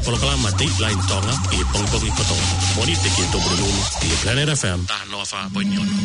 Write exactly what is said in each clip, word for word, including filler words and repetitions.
Polokalama Dateline Tonga ʻi he pongipongi kotoa. Mōnite ki he Tupulupulu ʻi he Planet F M. Taha noa fā poini ono.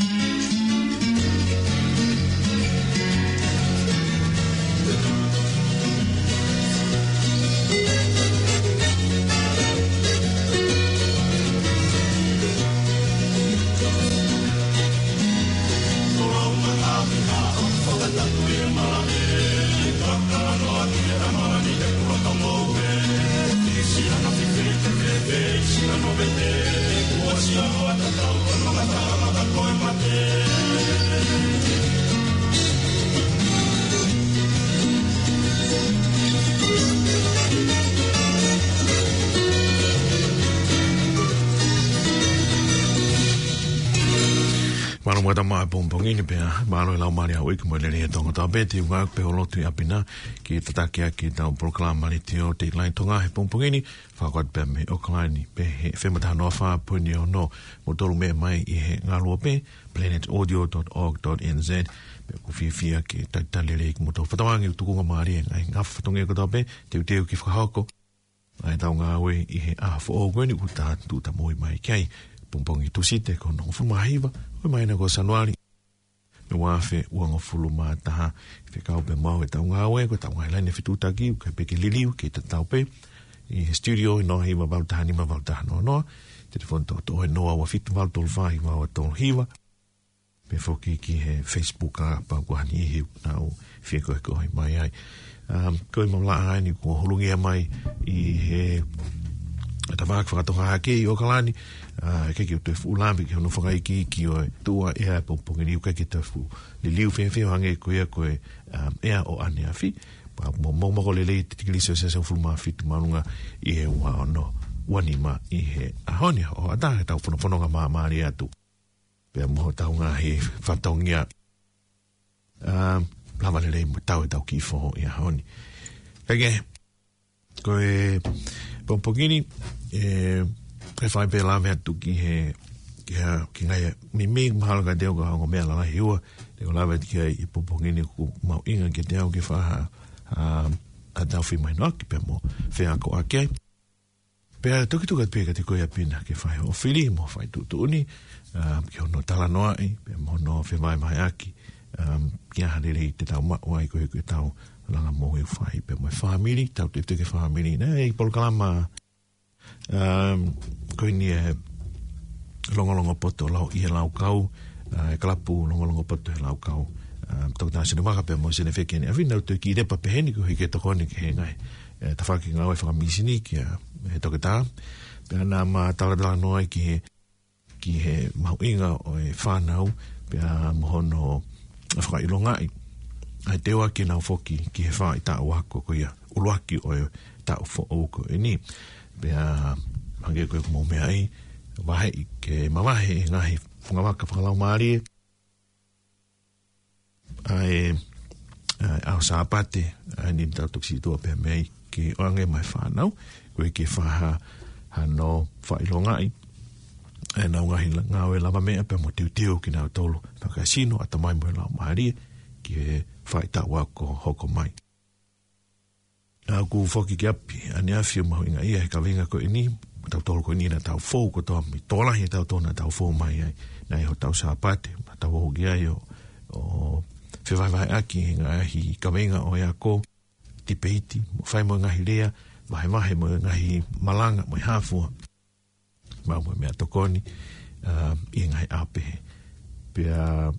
Mālō muʻa e tau maʻu e pongipongi ni pea mālō e lau mālie ʻa e uike mo e lelei ʻa Tonga kotoa pē. Te u ngāueʻaki pē hoʻo lotu ʻi ʻapi na ke tataki ʻaki ʻetau polokalama letiō Dateline Tonga he pongipongi ni. Fakaʻatā pē mei ʻAokalani pē he F M taha noa fā poini ono, mo tolu meʻa mai ʻi he ngaluope, planet audio dot org dot N Z. Pea ʻoku ou fiefia ke talitali lelei kimoutolu. Fakatauange ʻoku tukunga mālie e ngaahi ngafa fatongia kotoa pē, teuteu ke fakahoko ʻa ʻetau ngāue ʻi he ʻaho foʻou ko eni ʻoku tau tuʻutāmaki mai ki ai. Pongipongi Tūsite ko hono hongofulu mā hiva ʻo e māhina ko Sānuali, ua afe uangofulu mā taha. Fekau pē mo au ʻetau ngāue, ko ʻetau ngaahi laine fetuʻutaki, ʻoku ʻikai pē ke liliu, kei tatau pē. ʻI he studio ʻi he noa hiva valu taha nima valu taha noa noa, telefoni toʻotoʻo ʻe noa ua fitu valu tolu fā hiva ua tolu hiva. Pea foki ki he Facebook, kapau ʻoku ʻi ai ha niʻihi ʻoku nau fie koekoe mai ai. Um, ko e maʻu lā ʻa eni kuo hūlungia mai ʻi he tafaʻaki fakatonga hake ʻi ʻAokalani, ʻa, ʻikai ke u toe fuʻu lave ki hono fakaikiiki ʻo e tuʻu ʻa e ʻea he pongipongi ni, ʻoku ʻikai ke toe fuʻu liliu fēfē ʻo hangē ko ia ko e, um, ʻea ʻo ʻaneafi. Pea mo, mo, mo ko e lelei e tikilī Selesiasi hongofulu mā fitu māʻolunga ʻi he ua ono ua nima ʻi he ʻaho ni, ʻo ʻatā ke tau fonofononga māmālie atu pea mo hotau ngaahi fatongia, um, lava lelei mo tau ʻetau kiʻi foʻi ʻaho ni. Kae kehe, ko e pongipongi ni, ʻe, ʻe fai pē lave atu ki he, ki he, ki he ngaahi meimei mahalo kiate au ko e ongo meʻa lalahi ʻe ua te u lave atu ki ai he pongipongi ni ʻoku mahuʻinga kiate au ke fai ha, um, ʻetau feʻiloaki pea mo feakoʻaki ai. Pea toki tuku atu pē kiate koe ʻi ʻapi na ke fai hoʻo fili mo fai tuʻutuʻuni, um, ki hono talanoaʻi, pea mo hono fevahevaheʻaki, um, ki ha lelei te tau maʻu ai ko e, ko ʻetau langa moʻui ʻoku fai, pea mo e fāmili, tau tefito ki he fāmili. Naʻe ʻi ai e polokalama, um, ko eni e Longolongo Poto Lau ʻi he Laukau, ʻa, e kalapu Longolongo Poto he Laukau. Um, Toketā Sinivaka pea mo Senefeke ni. ʻAfina ʻoku toe kiʻi lepa pē heni ko e hiki e tokoni ki he ngaahi, ʻe, tafaʻaki ngāue fakamisini kia, ʻe, Toketā. Pea naʻá ma talatalanoa ai ki he, ki he mahuʻinga ʻo e fānau, pea mo hono fakaʻilongaʻi ʻa e teuaki ʻenau foki ki he faʻahitaʻu ako ko ia ʻuluaki ʻo e taʻu foʻou ko eni. Pea hangē ko ʻeku mou meaʻi, vaheʻi ke mavahe e ngaahi fungavaka fakalaumālie ʻa e, ʻa e ʻaho Sāpate, ʻa eni tau toki situʻa pē mei ai ke ʻoange maʻa e fānau, koeʻuhi ke fai ha, hano fakaʻilongaʻi ʻa ʻenau ngaahi la-, ngāue lavameʻa pea mo teuteu kinautolu, fakasino, ʻatamai mo e laumālie, ki he faʻahitaʻu ako hoko mai. ʻA, ʻoku foki ki ʻapi ʻaneafi ʻo mahuʻingaʻia he kaveinga ko eni, tautolu ko eni naʻa tau fou kotoa mai, tokolahi ʻetau tō naʻa tau fou mai ai, naʻe ʻi ai hotau Sāpate, naʻa tau ō ki ai ʻo, ʻo fevahevaheʻaki he ngaahi kaveinga ʻo e ako, tipeiti, mo fai mo e ngaahi lea, vahevahe mo e ngaahi malanga, mo e hā fua. Maʻu mo e meʻatokoni, um, ʻi he ngaahi ʻaho pehē. Pea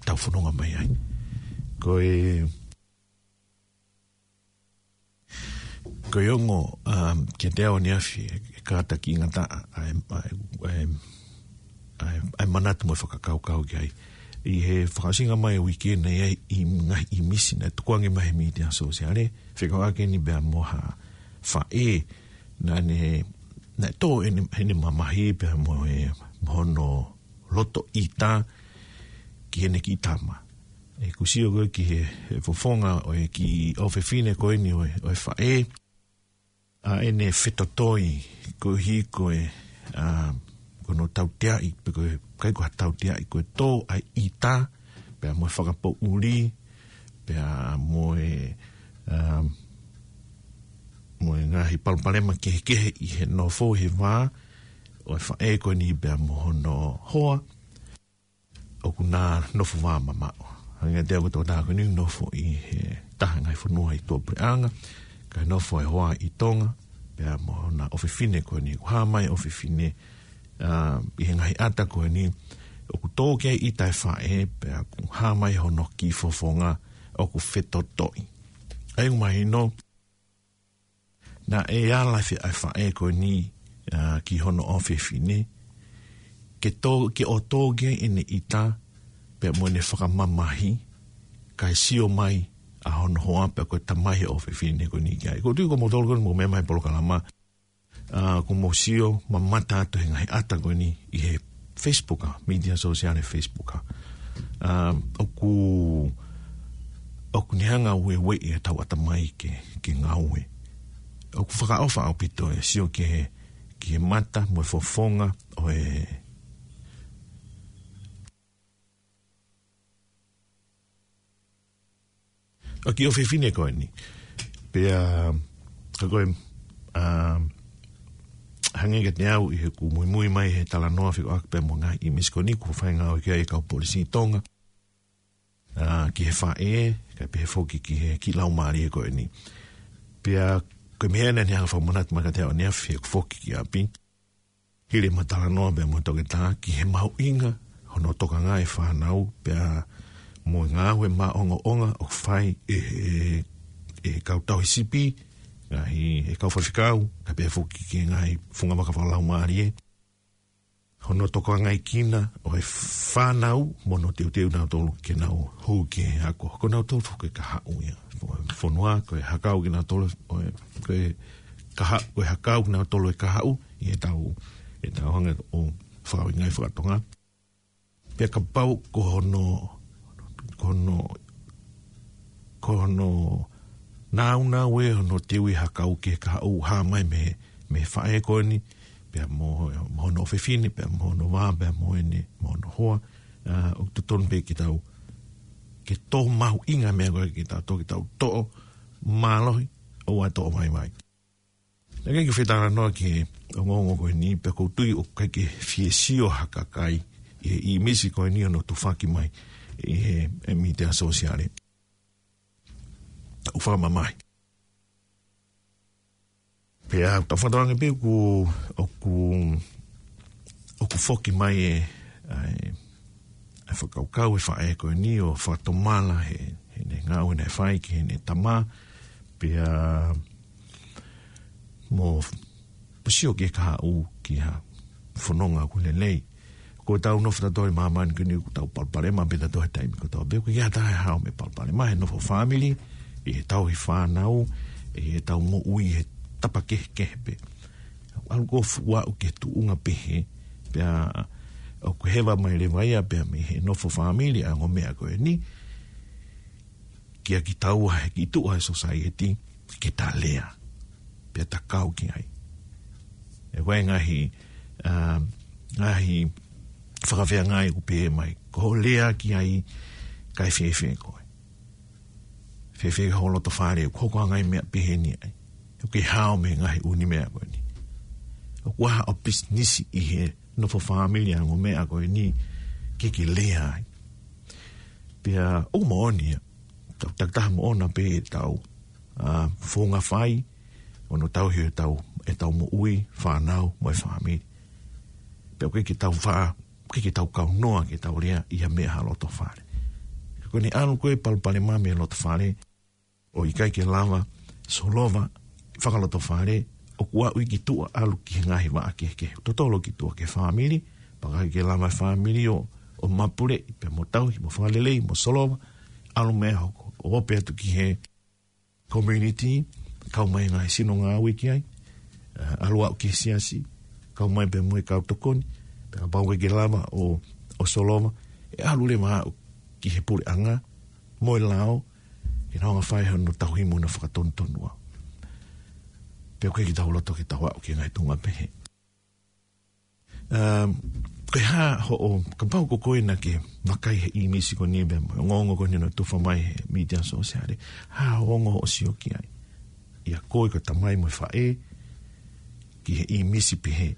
tau fononga mai ai. Ko e, ko e ongo, um, kiate au ʻaneafi, ʻe kātakiʻi ngataʻa ʻa e, ʻa e, ʻa e, ʻa e, ʻa e manatu mo e fakakaukau ki ai. ʻI he fakaʻosinga mai e uike naʻe ʻi ai e ngaahi ʻīmisi naʻe tukuange mai he mītia sōsiale, fekauʻaki eni pea mo ha faʻē naʻá ne, naʻe tō ʻene, ʻene mamahi pea mo e, mo hono loto ʻita ki heʻene kiʻi tama. ʻOku ou sio ko ē ki he, he fofonga ʻo e kiʻi ʻofefine ko eni ʻo e, ʻo e faʻē, ʻa ʻene fetotoi koeʻuhi ko e, ʻa, ko hono tauteaʻi, pe ko e, ʻikai ko ha tauteaʻi, ko e tō ʻa e ʻita, pea mo e fakapoʻuli, pea mo e, ʻa, mo e ngaahi palopalema kehekehe ʻi he nofo he vā ʻo e faʻē ko eni pea mo hono hoa, ʻoku na nofo vā mamaʻo. Hangē ko e tokotaha ko eni nofo ʻi he taha ngaahi fonua ʻi tuʻapuleʻanga, kae nofo e hoa ʻi Tonga, pea mo hona ʻofefine ko eni, ʻoku hā mai ʻofefine, ā, ʻi he ngaahi ʻata ko eni, ʻoku tō ki ai ʻita e faʻē, pea ʻoku hā mai hono kiʻi fofonga ʻoku fetotoʻi. ʻA ia ʻoku mahino, naʻe ala e faʻē ko eni, ā, ki hono ʻofefine, ke tō, ke ʻoua tō ki ai ʻene ʻita, pea mo ʻene fakamamahi, kae sio mai ʻa hono hoa pea ko e tamai ʻofefine ko eni ki ai. ʻOku ou tui ko moutolu ko eni mou meʻa mai polokalama, ā, ʻoku mou sio mamata atu he ngaahi ʻata ko eni ʻi he Facebook, ā, media sosiale Facebook, ā. Ā, ʻoku, ʻoku ne hanga ʻo ueʻi e tau ʻatamai ke, ke ngāue. ʻOku fakaʻofa ʻaupito e sio ki he, ki he mata mo e fofonga ʻo e ʻa e kiʻi ʻofefine ko eni. Pea, ka ko e, ā, hangē kiate au ʻi heʻeku muimui mai he talanoa fekauʻaki pea mo e ngaahi ʻīmisi ko eni kuo fai ngāue ki ai e kau polisi Tonga, ā, ki he faʻē, kae pehē foki ki he kiʻi laumālie ko eni. Pea, ko e meʻa naʻa ne hanga fakamanatu mai kiate au ʻaneafi heʻeku foki ki ʻapi, hili ʻema talanoa pea mo e toketā ki he mahuʻinga hono tokanga e fānau pea mo e ngāue maʻongoʻonga ʻoku fai ʻe he, ʻe he kau tauhi sipi, ngaahi, ʻe he kau faifekau, kae pehē foki ki he ngaahi fungavaka fakalaumālie. Hono tokangaʻi kinaua ʻo e fānau mo hono teuteu nautolu ke nau hū ki he ako. Ko nautolu foki ko e kahaʻu ia. Fonua, ko e hakau kinautolu, ʻo e, ko e kaha-, ko e hakau kinautolu e kahaʻu, ʻi heʻetau, ʻetau hanga ʻo fakaʻuhingaʻi fakatonga. Pea kapau ko hono, ko hono, ko hono nāunau ē hono teuʻi hakau ki he kahaʻu, hā mai mei, mei he faʻē ko eni, pea mo, mo hono ʻofefine, pea mo hono vā, pea mo ʻene, mo hono hoa, ā, ʻoku totonu pē ke tau, ke tō mahuʻinga e meʻa ko ē ke tau toki tau toʻo mālohi, ʻoua ʻe toʻo vaivai. Naʻe ʻikai ke u fie talanoa ki he ongoongo ko eni, pea ʻoku ou tui ʻoku ʻikai ke fie sio ha kakai ʻi he ʻīmisi ko eni hono tufaki mai ʻi he, he mītia sōsiale. ʻOku fakamamahi. Pea ʻoku tau fakatokangaʻi pē ʻoku, ʻoku, ʻoku foki mai e, ʻa e, ʻa e fakakaukau e faʻē ko eni ʻo fakatomala he, heʻene ngāue naʻe fai ki heʻene tama, pea mo sio ki he kahaʻu ki ha fononga ʻoku lelei. Ko ʻetau nofo tautolu ʻi māmani ko eni ʻoku tau palopalema pē tautolu he taimi kotoa pē. ʻOku ʻikai ha taha ʻe hao mei he palopalema he nofo fāmili, ʻi he tauhi fānau, ʻi heʻetau moʻui he tapa kehekehe pē. ʻAlu ʻo fuʻu aʻu ki he tuʻunga pehē, pea ʻoku heva mai leva ia pea mei he nofo fāmili ʻa e ongo meʻa ko eni, kia kitaua he kiʻi tuʻa he sōsaieti ke ta lea, pea ta kau ki ai. ʻE ʻi ai e ngaahi, ā, ngaahi fakafeangai ʻoku pehē mai, ko hoʻo lea ki ai, kae fēfē koe. Fēfē hoʻo loto fale, ʻoku hoko ʻa e ngaahi meʻa pehē ni ai. ʻOku ke hao mei he ngaahi ʻū meʻa ko eni. ʻOku ʻi ai haʻo pisinisi ʻi he nofo fāmili ʻa e ongo meʻa ko eni ke ke lea ai. Pea ʻoku moʻoni ia, tau takitaha moʻona pē ʻetau, ā, founga fai, ʻo nau tauhi ʻetau, ʻetau moʻui, fānau, mo e fāmili. Pea ʻoku ʻikai ke tau fā, ʻoku ʻikai ke tau kaunoa ke tau lea ʻi ha meʻa ha loto fale. Ka ko ʻene ʻalu ko ē palopalema mei he loto fale, ʻo ʻikai ke lava solova fakaloto fale, ʻoku aʻu ia ki tuʻa ʻalu ki he ngaahi vaʻa kehekehe. Totolo ki tuʻa ki he fāmili, pea ʻikai ke lava e fāmili ʻo, ʻo mapuleʻi, pea mo tauhi, mo fakalelei, mo solova, ʻalu mei ai ʻo hoko, ʻo ope atu ki he community, kau mai ngaahi sino ngāue ki ai, ā, ʻalu aʻu ki he siasi, kau mai pea mo e kau tokoni, pea kapau ʻoku ʻikai ke lava ʻo, ʻo solova, ʻe ʻalu leva aʻu ki he puleʻanga, mo e lao, ke nau hanga fai hono tauhi mo hono fakatonutonua. Pea ʻoku ʻikai ke tau loto ke tau aʻu ki he ngaahi tuʻunga pehē. Um, ko e hā hoʻo, kapau ko koe naʻa ke vakai he ʻīmisi ko eni pea mo e ongoongo ko eni naʻe tufa mai he mītia sōsiale, hā hoʻo ongo hoʻo sio ki ai. ʻia koe ko e tamai mo e faʻē, ki he ʻīmisi pehē,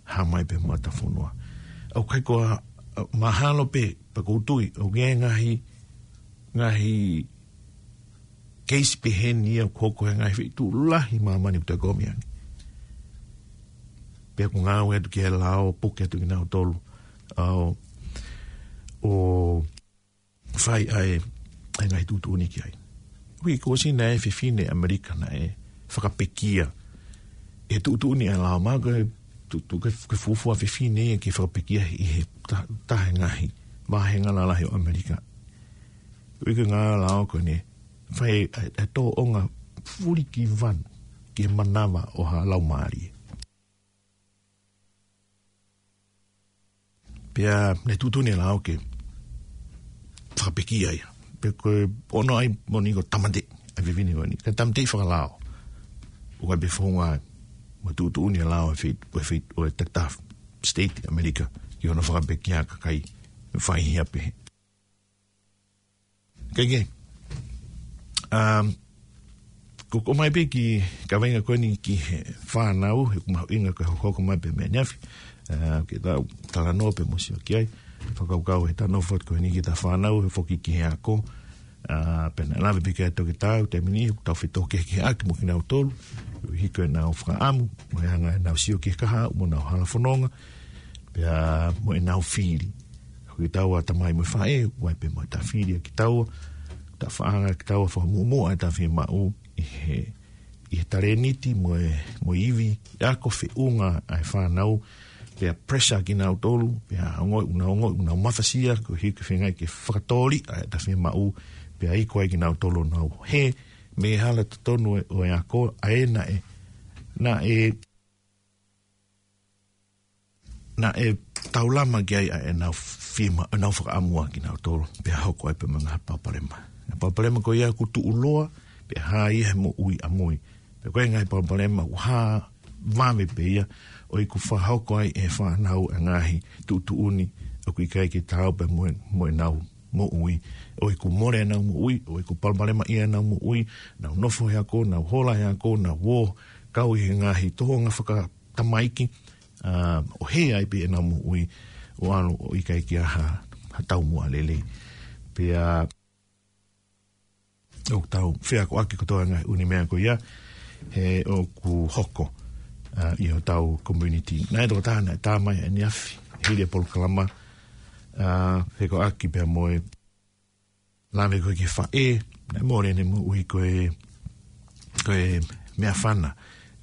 hā mai pē mata fonua. ʻOku ʻikai ko ha, mahalo pē, pea ʻoku ou tui, ʻoku ʻi ai e ngaahi, ngaahi keisi pehē ni ia ʻoku hoko he ngaahi feituʻu lahi ʻi māmani ʻoku toe kumi ange. Pea ʻoku ngāue atu ki he lao, puke atu kinautolu. ʻO, ʻo fai ʻa e, ʻa e ngaahi tuʻutuʻuni ki ai. Ui, ko e ʻosi naʻe fefine ʻAmelika naʻe fakapekia. ʻE tuʻutuʻuni ʻa e lao, mahalo ko e tu-, tu-, ko e, ko e fuofua fefine ia ke fakapekia ʻi he ta-, taha e ngaahi vāhenga lalahi ʻo ʻAmelika. Ui, ko e ngaahi lao ko eni, fai ʻa e, ʻa e tōʻonga fulikivanu ki he manava ʻo ha laumālie. Pea ne tuʻutuʻuni e lao ke fakapekia ia. Pea ko e ʻono ai moʻoni ko e tāmateʻi ʻa e fefine ko eni. Ka tāmateʻi fakalao. ʻOku ʻi ai pē founga mo e tuʻutuʻuni e lao ʻo e fei-, ʻo e fei-, ʻo e takitaha state ʻAmelika ki hono fakapekia kakai faihia pehē. Ke ke. Um, ko, ko mai pē ki he kaveinga ko eni ki he fānau, he ʻoku mahuʻinga ke hokohoko mai pē mei ʻaneafi. Uh, ke tau talanoa pē mo sio ki ai. Fakakaukau he tano fot ko eni ki he fānau, he foki ki he ako. Uh, pea naʻe lave pē ki ai e toketā, ʻo taimi ni, ʻoku tau fetōkehekeheʻaki mo kinautolu. Hiko ʻenau fakaʻamu, mo e anga ʻenau sio ki he kahaʻu, mo ʻenau hala fononga. Pea mo ʻenau fili. Ko kitaua tamai mo e faʻē, ʻoku ʻi ai pē mo ʻeta fili ʻa kitaua, ʻeta faʻanga kitaua fakamuʻomuʻa ʻeta fiemaʻu ʻi he, ʻi he talēniti mo e, mo e ivi, ʻa ia ko e feʻunga ʻa e fānau, pea pressure kinautolu, pea ongoʻi, ʻoku nau ongoʻi, ʻoku nau mafasia, koeʻuhi ko e feinga ke fakatōliʻa ʻeta fiemaʻu, pea iku ai kinautolu ʻo nau hē mei he hala totonu ʻo e, ʻo e ako, ʻa ē naʻe, naʻe naʻe taulama ki ai ʻa ʻenau fiemaʻu, ʻenau fakaʻamu ʻa kinautolu, pea hoko ai pē mo e ngaahi palopalema. Ngaahi palopalema ko ia ʻoku tuʻuloa, pea hā ia he moʻui ʻamui. Pea ko e ngaahi palopalema ʻoku hā vave pē ia, ʻo ʻiku fakahoko ai ʻe he fānau e ngaahi tuʻutuʻuni, ʻoku ʻikai ke taau pē mo e, mo ʻenau moʻui. ʻO ʻiku mole ʻenau moʻui, ʻo ʻiku palopalema ʻi heʻenau moʻui, nau nofo he ako, nau hola he ako, nau ō, kau ʻi he ngaahi tōʻonga faka- tamaiki, ʻa, ʻo hē ai pē ʻenau moʻui, ʻo ʻalu ʻo ʻikai ke ʻi ai ha, ha taumuʻa lelei. Pea, ʻoku tau feakoʻaki kotoa e ngaahi ʻū meʻa ko ia, he ʻoku hoko, ʻa, ʻi hotau community. Naʻe toko taha naʻe tā mai ʻaneafi, hili e polokalama, ʻa, feakoʻaki pea mo e lave ko ē ki he faʻē, naʻe mole ʻene moʻui ko e, ko e meʻafana,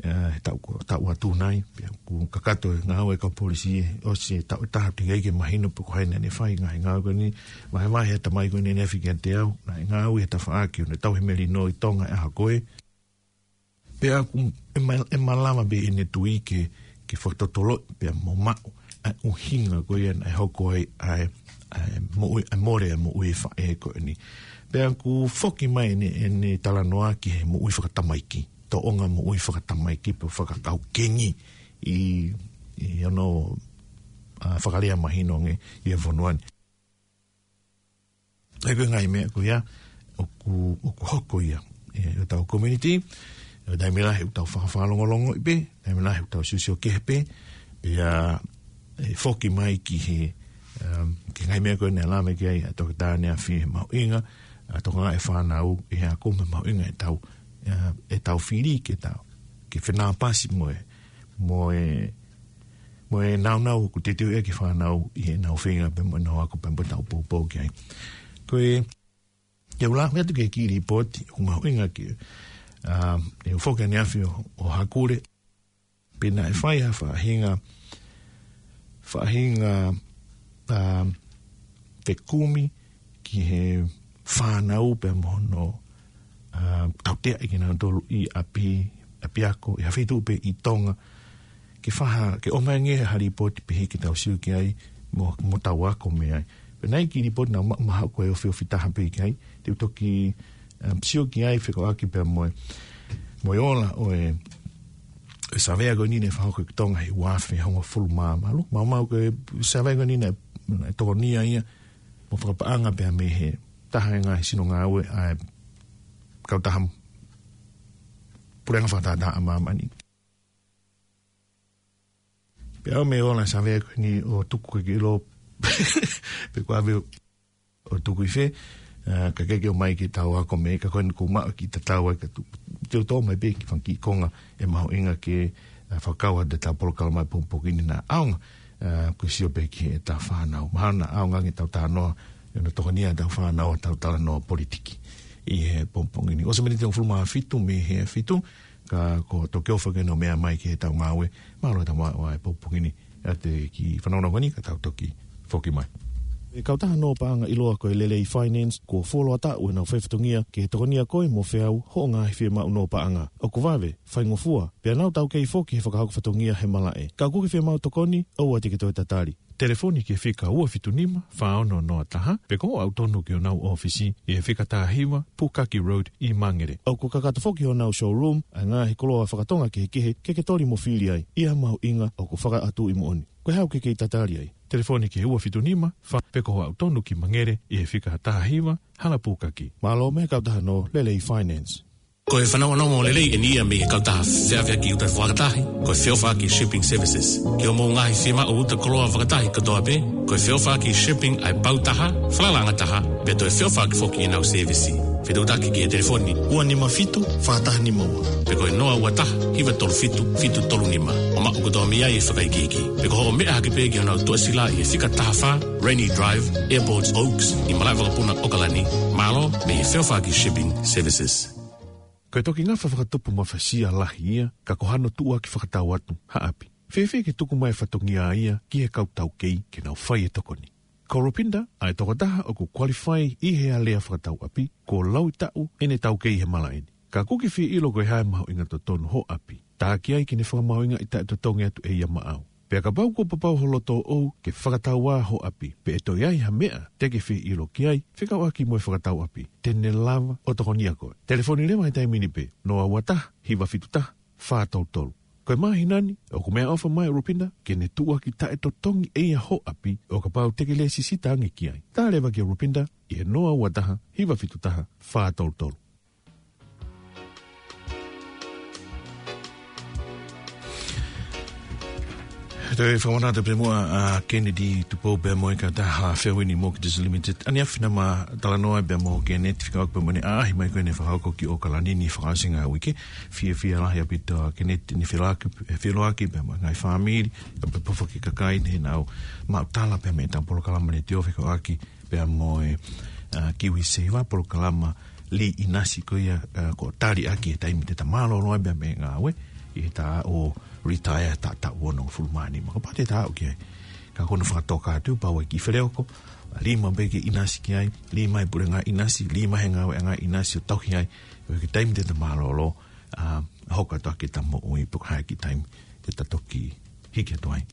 ʻa, he taʻu, taʻu atu nai, pea ʻoku kakato e ngāue ʻa e kau polisi, ʻosi e taʻu ʻe taha teʻeki ai ke mahino pe ko hai naʻa ne fai e ngaahi ngāue ko eni, vahevahe e tamai ko eni naʻe fika te au, naʻe ngāue he tafaʻaki, ʻo ne tauhi melino ʻi Tonga he ʻaho ko ē. Pea ʻoku, ʻe ma-, ʻe malava pē ʻene tui ke, ke fakatotoloʻi pea mo maʻu ʻa e ʻuhinga ko ia naʻe hoko ai ʻa e, ʻa e moʻui, ʻa e mole ʻa e moʻui faʻē ko eni. Pea ʻoku foki mai ʻene, ʻene talanoa ki he moʻui fakatamaiki, tōʻonga moʻui fakatamaiki pe fakakau kengi ʻi, ʻi hono, ʻa, fakalea mahino ange ʻi he fonua ni. ʻA ia ko e ngaahi meʻa ko ia, ʻoku, ʻoku hoko ia ʻi hotau community, ʻi he taimi lahi ʻoku tau fakafakalongolongo pē, taimi lahi ʻoku tau siosio kehe pē, pea ʻe foki mai ki he, um, ki he ngaahi meʻa ko ē naʻe lave ki ai ʻa e toketā ʻaneafi he mahuʻinga ʻa e tokangaʻi e fānau ʻi he ako mo e mahuʻinga ʻetau, ʻa, ʻetau fili ke tau, ke fenāpasi mo e, mo e, mo e nāunau ʻoku teuteu ʻaki e fānau ʻi heʻenau feinga pea mo ʻenau ako pea mo ʻetau poupou ki ai. Ko e, ke u lave atu ki he kiʻi lipooti, ʻoku mahuʻinga ke, ʻa, ʻe u foki ʻaneafi ʻo, ʻo hakule, pe naʻe fai ha faʻahinga, faʻahinga, ʻa, fekumi ki he fānau pea mo hono, ʻa, tautea ʻe kinautolu ʻi ʻapi, ʻapiako, ʻi ha feituʻu pē ʻi Tonga, ke faha, ke ʻomai ange ha lipooti pehē ke tau sio ki ai mo, mo tau ako mei ai. Pea naʻe ʻi ai e kiʻi lipooti naʻa ma-, maha ko e ofiofi taha pē ki ai, te u toki, um, sio ki ai fekauʻaki pea mo e, mo e ola ʻo e, e savea ko eni naʻe fakahoko ʻi Tonga he ua afe hongofulu mā valu. Maumau ko e savea ko eni naʻe, naʻe tokonia ia mo fakapaʻanga pea mei he taha e ngaahi sino ngāue ʻa e kautaha puleʻanga fakatātā ʻa māmani. Pea ʻomi e ola Savea ko eni ʻo tuku ke ke ʻilo pe ko ʻave ʻo tuku ʻi fē, ā, ka ke ke ʻomai ke tau ako mei ai, ka ko eni ʻoku maʻu e kiʻi tatau ai ka tu. Te u toʻo mai pē kiʻi fanga kiʻi konga ʻe mahuʻinga ke, ā, fakakau atu ʻetau polokalama he pongipongi ni naʻa ʻaonga, ā, ko e sio pē ki heʻetau fānau. Mahalo naʻa ʻaonga ange ʻetau talanoa, ʻi hono tokoniʻi ʻetau fānau ʻetau talanoa politiki ʻi he pongipongi ni. ʻOsi e miniti ʻe hongofulu mā fitu mei he fitu, ka ko e toki ʻofa ke nau meʻa mai ki heʻetau ngāue, mālō e tama ʻo e pongipongi ni, ʻa e kiʻi fanongonongo ni ka tau toki foki mai. ʻE kautaha Nō Paʻanga ʻiloa ko e Lelei Finance, kuo fuoloa taʻu ʻenau faifatongia ke tokoniʻi koe mo feau hoʻo ngaahi fiemaʻu nō paʻanga. ʻOku vave, faingofua, pea nau taukei foki he fakahoko fatongia he malaʻe. Ka ʻoku ke fiemaʻu tokoni, ʻoua te ke toe tatali. Telefoni ki he fika ua fitu nima, fā ono noa taha, pe ko hoʻo aʻu tonu ki honau ʻōfisi ʻi he fika taha hiva, Pukaki Road ʻi Mangere. ʻOku kakato foki honau showroom ʻa e ngaahi koloa fakatonga kehekehe ke ke toli mo fili ai. ʻI ha mahuʻinga ʻoku fakaʻatuʻi moʻoni. Ko e hā ʻoku ke kei tatali ai? Telefoni ki he ua fitu nima, fā, pe ko hoʻo aʻu tonu ki Mangere ʻi he fika taha hiva, Hala Pukaki. Mālō mei he kautaha Nō Lelei Finance. Ko e fanongonongo lelei eni ia mei he kautaha feʻaveʻaki uta fakatahi, ko e Feʻofaʻaki Shipping Services. Ki hoʻomou ngaahi fiemaʻu uta koloa fakatahi kotoa pē, ko e Feʻofaʻaki Shipping ʻa e pau taha, falalaʻanga taha, pea toe feʻofaʻaki foki ʻenau sēvisi. Fetuʻutaki ki he telefoni ua nima fitu, fā taha nima ua, pe ko e noa ua taha, hiva tolu fitu, fitu tolu nima. ʻO maʻu kotoa mei ai e fakaikiiki. Pe ko hoʻo meʻa hake pē ki honau tuʻasila ʻi he fika taha fā, Rainy Drive, Airport Oaks, ʻi Malaʻe Vakapuna ʻAokalani, mālō mei he Feʻofaʻaki Shipping Services. Ko e toki ngafa fakatupu mafasia lahi ia, ka ko hano tuʻuaki fakatau atu ha ʻapi. Fēfē ke tuku mai e fatongia ia ki he kau taukei ke nau fai e tokoni. Ko Rupinda ʻa e tokotaha ʻoku qualify ʻi he alea fakatau ʻapi, kuo laui taʻu ʻene taukei he malaʻe ni. Ka ʻoku ke fie ʻilo ko e hā e mahuʻinga totonu hoʻo ʻapi. Tā ki ai ke ne fakamahuʻingaʻi taʻetotongi atu ʻe ia maʻau. Pea kapau kuo papau ho loto ʻoʻou ke fakatau ā hoʻo ʻapi, pe ʻe toe ʻi ai ha meʻa te ke fie ʻilo ki ai, fekauʻaki mo e fakatau ʻapi, te ne lava ʻo tokoniʻi koe. Telefoni leva he taimi ni pē, noa ua taha, hiva fitu taha, fā tolu tolu. Ko e māhina ni, ʻoku meʻaʻofa mai ʻa Rupinda ke ne tuʻuaki taʻetotongi ʻe ia hoʻo ʻapi, ʻo kapau te ke lēsisita ange ki ai. Tā leva kia Rupinda ʻi he noa ua taha, hiva fitu taha, fā tolu tolu. Toe fakamanatu pē muʻa ʻa Kennedy Tupou pea mo e kautaha Fairwind Mortgages Limited. ʻAneafi naʻa ma talanoa pea mo Kennedy fekauʻaki pea mo ʻene ʻaʻahi mai ko ʻene fakahoko ki ʻAokalani ʻi he fakaʻosinga ʻo e uike. Fiefia lahi ʻaupito ʻa Kennedy ʻi heʻene feʻiloaki, feʻiloaki pea mo e ngaahi fāmili, pea pehē foki ki he kakai ni heʻenau maʻu tala pea mei heʻetau polokalama letiō fekauʻaki pea mo e, ā, KiwiSaver, polokalama lī ʻinasi ko ia, ā, ʻoku tali ʻaki e taimi te ta mālōlō ai pea mei he ngāue, ʻi he taʻu ʻo retire taʻu, taʻu onongofulu mā nima. Kapau te ta aʻu ki ai, ka ko hono fakatoka atu, pau ai ke feleoko, lima pē ke ʻinasi ki ai, lima he puleʻanga ʻinasi, lima he ngāueʻanga ʻinasi ʻo tauhi ai, ʻo ki he taimi te ta mālōlō, ā, hoko atu ʻaki ʻeta moʻui pe ko e hā e kiʻi taimi te ta toki hiki atu ai.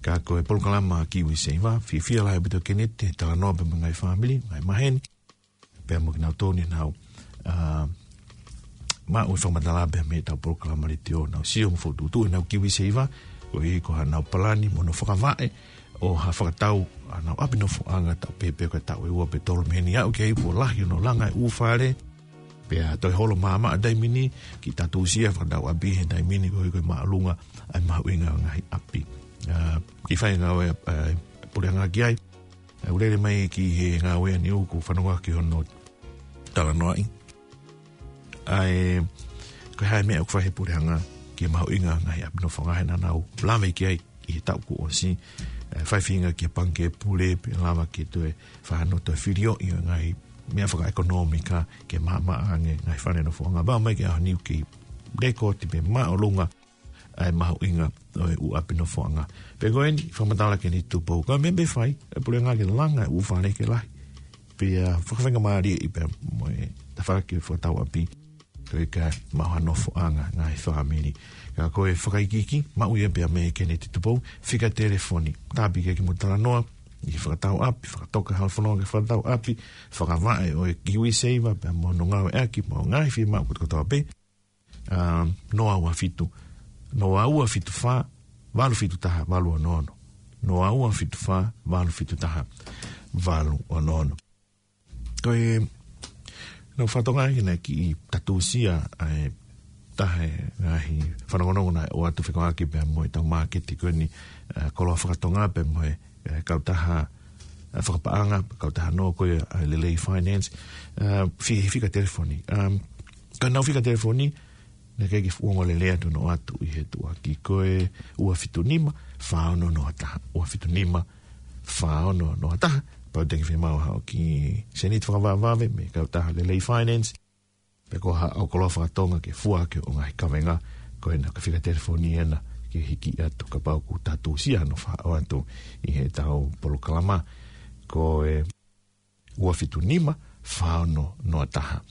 Ka ko e polokalama KiwiSaver, fiefia lahi ʻaupito Kennedy he talanoa pea mo e ngaahi fāmili, ngaahi maheni, pea mo kinautolu ni ʻoku nau, ā, maʻu e fakamatala pea mei heʻetau polokalama letiō, nau sio mo fokotuʻutuʻu ʻenau KiwiSaver, koeʻuhi ko haʻanau palani mo hono fakavaʻe ʻo ha fakatau ʻa honau ʻapi nofoʻanga taʻu pē pe ko e taʻu ʻe ua pe tolu mei heni, aʻu ki ai kuo lahi hono langa e ʻū fale, pea toe holo maʻamaʻa taimi ni, kiʻi tātūsia fakatau ʻapi he taimi ni koeʻuhi ko e māʻolunga ʻa e mahuʻinga ʻo e ngaahi ʻapi. Ā, kiʻi fai ngāue, ā, puleʻanga ki ai. Ā, ʻoku lele mai ki he ngāue ʻa Niu, ʻoku fanongo ki hono talanoaʻi. ʻA e, ko e hā e meʻa ʻoku fai he puleʻanga ki he mahuʻinga ʻo e ngaahi ʻapi nofoʻanga he naʻa nau lave ki ai ʻi he taʻu kuo ʻosi, ē, fai feinga ki he Pangikē Pule, pea lava ke toe fai hano toe filioʻi ʻo e ngaahi meʻa fakaʻekonōmika ke maʻamaʻa ange ngaahi fale nofoʻanga. Pau mai ki he ʻaho ni ʻoku kei lēkooti pē māʻolunga ʻa e mahuʻinga ʻo e ʻū ʻapi nofoʻanga. Pea ko eni, fakamatala Kennedy Tupou, ko e meʻa pē fai e puleʻanga ke langa e ʻū fale ke lahi. Pea fakafaingamālieʻi pea mo e tafaʻaki fakatau ʻapi. Koeʻuhi kae maʻu ha nofoʻanga ngaahi fāmili. Ka ko e fakaikiiki, maʻu ia pea mei Kennedy Tupou, fika telefoni. Tāpuaki ke mou talanoa, ʻi he fakatau ʻapi, fakatoka halafononga ki he fakatau ʻapi, fakavaʻe ʻo e KiwiSaver, pea mo hono ngāueʻaki, mo e ngaahi fiemaʻu kotoa pē. Ā, noa ua fitu, noa ua fitu fā, valu fitu taha, valu ono ono. Noa ua fitu fā, valu fitu taha, valu ono ono. Ko e, naʻa ku fakatokangaʻi naʻe kiʻi tātūsia ʻa e ʻa e ngaahi fanongonongo naʻe ʻoatu fekauʻaki pea mo ʻetau māketi ko eni, ʻa, koloa fakatonga pea mo e, ʻa e kautaha, ʻa, fakapaʻanga, kautaha nō ko ia ʻa e Lelei Finance, ʻa, fie fika telefoni. Um, ka nau fika telefoni, naʻe ʻikai ke fuʻu ongo lelei atu ʻene ʻoatu ʻi he tuʻuaki ko e ua fitu nima, fā ono noa taha, ua fitu nima, fā ono noa taha, pau te ke fiemaʻu ha ʻoku seniti fakavavevave, mei he kautaha Lelei Finance, pe ko ha ʻoku koloa fakatonga ke fua ke ʻo ngaahi kavenga, ko ena ka fika telefoni ena ke hiki atu kapau ʻoku tatusia hono fakaʻoatu ʻi heʻetau polokalama, ko e ua fitu nima, fā ono noa taha.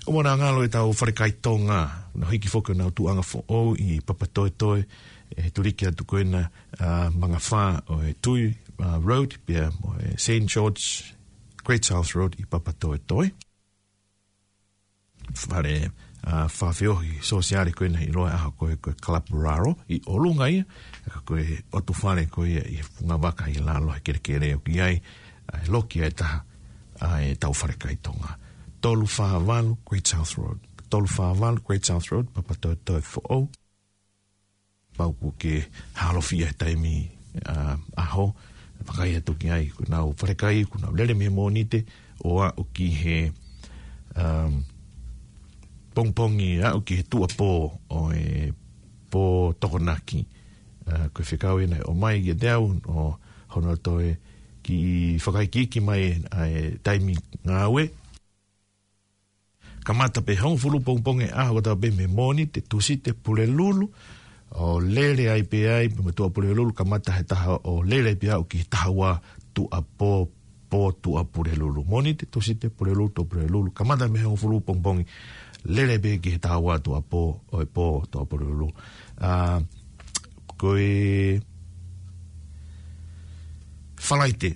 ʻOku mou ngalo ʻetau falekai Tonga, nau hiki foki ʻenau tuʻuʻanga foʻou ʻi Papatoetoe, ʻe tuliki atu ko ena, ʻa, mangafā ʻo e Tui, ʻa, Road, pea mo e Saint George, Great South Road ʻi Papatoetoe. Fale, ʻa, fakafeohi sōsiale ko ena ʻi loa ʻaho ko e, ko e Club Raro ʻi ʻolunga ia, ka ko e ʻotu fale ko ia ʻi he funga vaka ʻi lalo he kelekele ʻoku ʻi ai, ʻa, e loki ʻe taha, ʻa, ʻetau falekai Tonga. Tolu fā valu Great South Road. Tolu fā valu Great South Road, Papatoetoe foʻou. Pau ʻoku ke hālofia he taimi, ʻa, ʻaho, vakai atu ki ai, ko ʻenau falekai, ko ʻenau lele mei he Mōnite, ʻo aʻu ki he, um, pongipongi, aʻu ki he tuʻapō ʻo e pō Tokonaki. ʻA, ko e fekau ena ʻe ʻomai kiate au, ʻo hono toe kiʻi fakaikiiki mai, ʻa e taimi ngāue. Kamata pē hongofulu pongipongi ʻaho kotoa pē mei he Mōnite, Tūsite, Pulelulu, ʻo lele ai pē ai, pea mo Tuʻapulelulu, kamata he taha ʻo lele ai pē aʻu ki he taha ua tuʻapō, pō Tuʻapulelulu. Mōnite, Tūsite, Pulelulu, Tuʻapulelulu, kamata mei he hongofulu pongipongi, lele pē ki he taha ua tuʻapō, ʻo e pō Tuʻapulelulu. ʻA, ko e Falaite,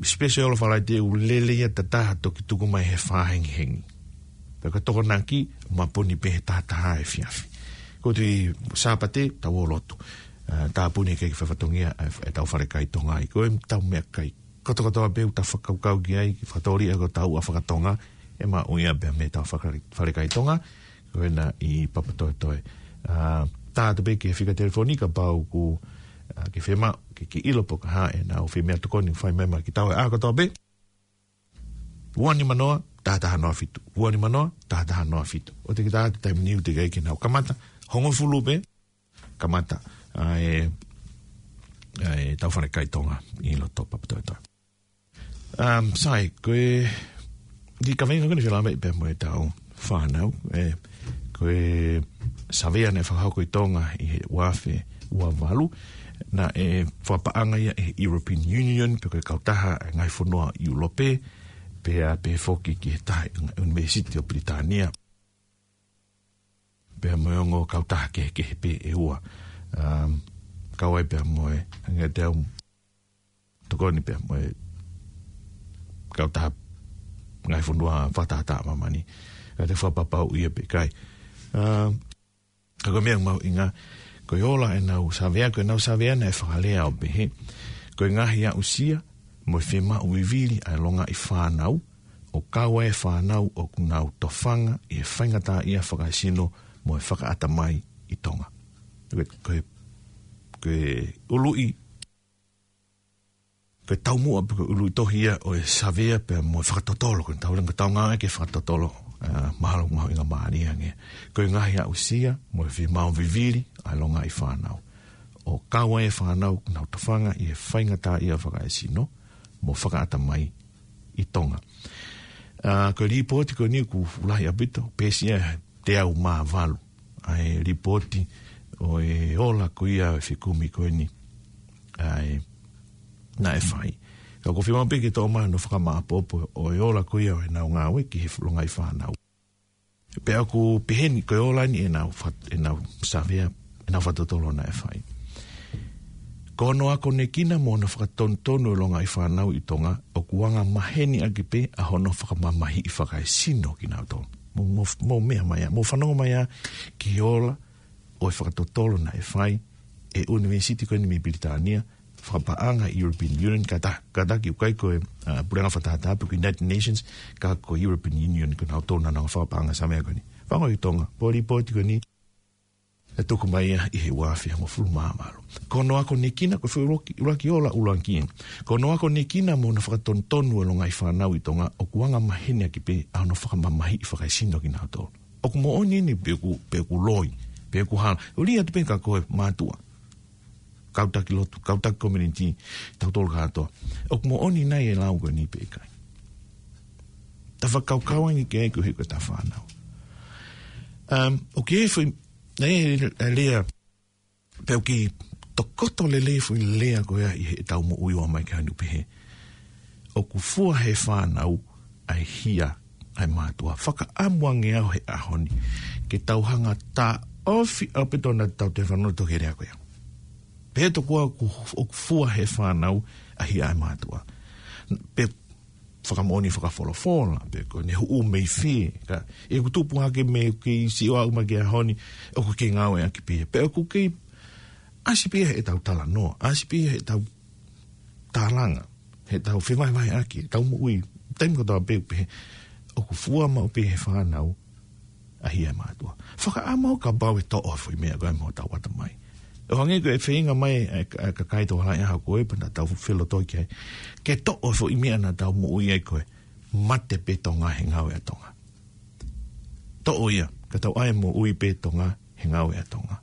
special Falaite ʻoku lele ia ʻe taha toki tuku mai he fā hengihengi. Pea ko Tokonaki, mapuni pē he taha taha efiafi. Ko e Sāpate, tau ō lotu. ʻA, tāpuni ke ke faifatongia ʻa e, ʻetau falekai Tonga ʻi ko e tau meʻakai. Kotokotoa pē ʻoku tau fakakaukau ki ai, ke fakatoli ʻa ko tau ʻa fakatonga, ʻe maʻu ia pē mei heʻetau faka-, falekai Tonga, ko ena ʻi Papatoetoe. ʻA, tā atu pē ke fika telefoni kapau ʻoku, ʻa, ke fiemaʻu, ke, ke ʻilo pe ko e hā ʻenau fiemaʻu tokoni fai mai maʻa kitaua ʻaho kotoa pē. Ua nima noa, taha taha noa fitu. Ua nima noa, taha taha noa fitu. ʻOua te ke tā atu taimi ni ʻoku teʻeki ai ke nau kamata. Hongofulu pē, kamata. ʻA e, ʻa ʻetau falekai Tonga ʻi loto Papatoetoe. Um, sai, ko e, ʻi he kaveinga ko eni felāveʻi pea mo ʻetau fānau, ʻe, ko e savea naʻe fakahoko ʻi Tonga ʻi he ua afe ua valu, naʻe fakapaʻanga ia ʻe he European Union, pe ko e kautaha ʻa e ngaahi fonua ʻIulope, pea pehē foki ki he taha ʻunivēsiti ʻo Pilitānia. Pea mo e ongo kautaha kehekehe pē ʻe ua. Um, kau ai pea mo e, hangē te au tokoni pea mo e kautaha ngaahi fonua fakatahataha ʻa māmani. Ka te fakapapauʻi ia pe ʻikai. Um, ka ko e meʻa mahuʻinga, ko e ola ʻenau savea, ko ʻenau savea naʻe fakalea ʻo pehē, ko e ngaahi aʻusia mo e fiemaʻu vivili ʻa e longaʻi fānau, ʻo kau ai e fānau ʻoku nau tofanga ʻi he faingataʻaʻia fakaesino mo e fakaʻatamai ʻi Tonga. Ko e, ko e, ko e ʻuluʻi, ko e taumuʻa pe ko e ʻuluʻi tohi ia ʻo e savea pea mo e fakatotolo, ko e tau langa tau ngāue ke fakatotolo, ʻa, mahalo mahuʻinga mālie ange. Ko e ngaahi aʻusia mo e fiemaʻu vivili ʻa e longaʻi fānau, ʻo kau ai e fānau ʻoku nau tofanga ʻi he faingataʻaʻia fakaesino mo fakaʻatamai ʻi Tonga. ʻA, ko e lipooti ko eni ʻoku lahi ʻaupito, peesi ia ʻe teau mā valu. ʻA e lipooti ʻo e ola ko ia ʻo e fekumi ko eni. ʻA e, naʻe fai. Ka ʻoku ou fiemaʻu pē ke toʻo mai hono fakamāʻopoʻopo ʻo e ola ko ia ʻo ʻenau ngāue ki he longaʻi fānau. Pea ʻoku peheni ko e ola eni ʻenau fat-, ʻenau savea, ʻenau fakatotolo naʻe fai. Ko hono akonekina mo hono fakatonutonu e longaʻi fānau ʻi Tonga, ʻoku anga maheni ʻaki pē ʻa hono fakamamahiʻi fakaesino kinautolu. Mou, mou, mou meʻa mai ā, mou fanongo mai ā ki he ola ʻo e fakatotolo naʻe fai ʻe he ʻunivēsiti ko eni mei Pilitānia, fakapaʻanga European Union, kāta-, kātaki ʻoku ʻikai ko e, ʻa, puleʻanga fakatahataha pe ko e United Nations, ka ko e European Union, ko kinautolu naʻa nau fakapaʻanga e savea ko eni. Fanongo ʻi Tonga, pō lipooti ko eni, ʻE tuku mai ia ʻi he ua afe hongofulu mā valu. Ko hono akonekina, ko e foʻi ʻuluaki, ʻuluaki ola ʻuluaki ē. Ko hono akonekina mo hono fakatonutonu ʻo e longaʻi fānau ʻi Tonga, ʻoku anga maheni ʻaki pē ʻa hono fakamamahiʻi fakaesino kinautolu. ʻOku moʻoni eni pe ʻoku, pe ʻoku loi, pe ʻoku hala. ʻUli atu pē ka ko e mātuʻa, kau taki lotu, kau taki community, tautolu kātoa. ʻOku moʻoni nai e lau ko eni pe ʻikai? Ta fakakaukau ange ki ai koeʻuhi ko ʻeta fānau. Um, ʻoku ʻi ai e foʻi, e, e lea, pe ʻoku tokoto lelei e foʻi lea ko ia ʻi heʻetau moʻui ʻo aʻu mai ki he ʻaho ni, pehē: ʻOku fua ʻe he fānau ʻa e hia ʻa e mātuʻa. Fakaʻamu ange au he ʻaho ni ke tau hanga ʻo taʻofi ʻaupito ʻa ʻetau telefonó ʻo toki lea ko ia. Pehē tokua ʻoku, ʻoku fua ʻe he fānau ʻa e hia ʻa e mātuʻa. Pe fakamoʻoni fakafolofola, pe ko ʻene huʻu mei fē, ka ʻi heʻeku tupu hake mei he kei sio aʻu mai ki he ʻaho ni, ʻoku kei ngāueʻaki pē ia. Pe ʻoku kei ʻasi pē ia heʻetau talanoa, ʻasi pē ia heʻetau tālanga, heʻetau fevahevaheʻaki, heʻetau moʻui, taimi kotoa pē ʻoku pehē, ʻoku fua maʻu pē ʻe he fānau ʻa e hia ʻa e mātuʻa. Fakaʻamu au kapau ʻe toʻo e foʻi meʻa ko ia mei hotau ʻatamai. ʻO hangē ko e feinga mai e, e, e kakai tokolahi ʻaho ko ē pea naʻa tau felotoi ki ai, ke toʻo e foʻi meʻa naʻa tau moʻui ai ko e mate pē Tonga he ngāue ʻa Tonga. Toʻo ia, ka tau ʻai e moʻui pē Tonga he ngāue ʻa Tonga.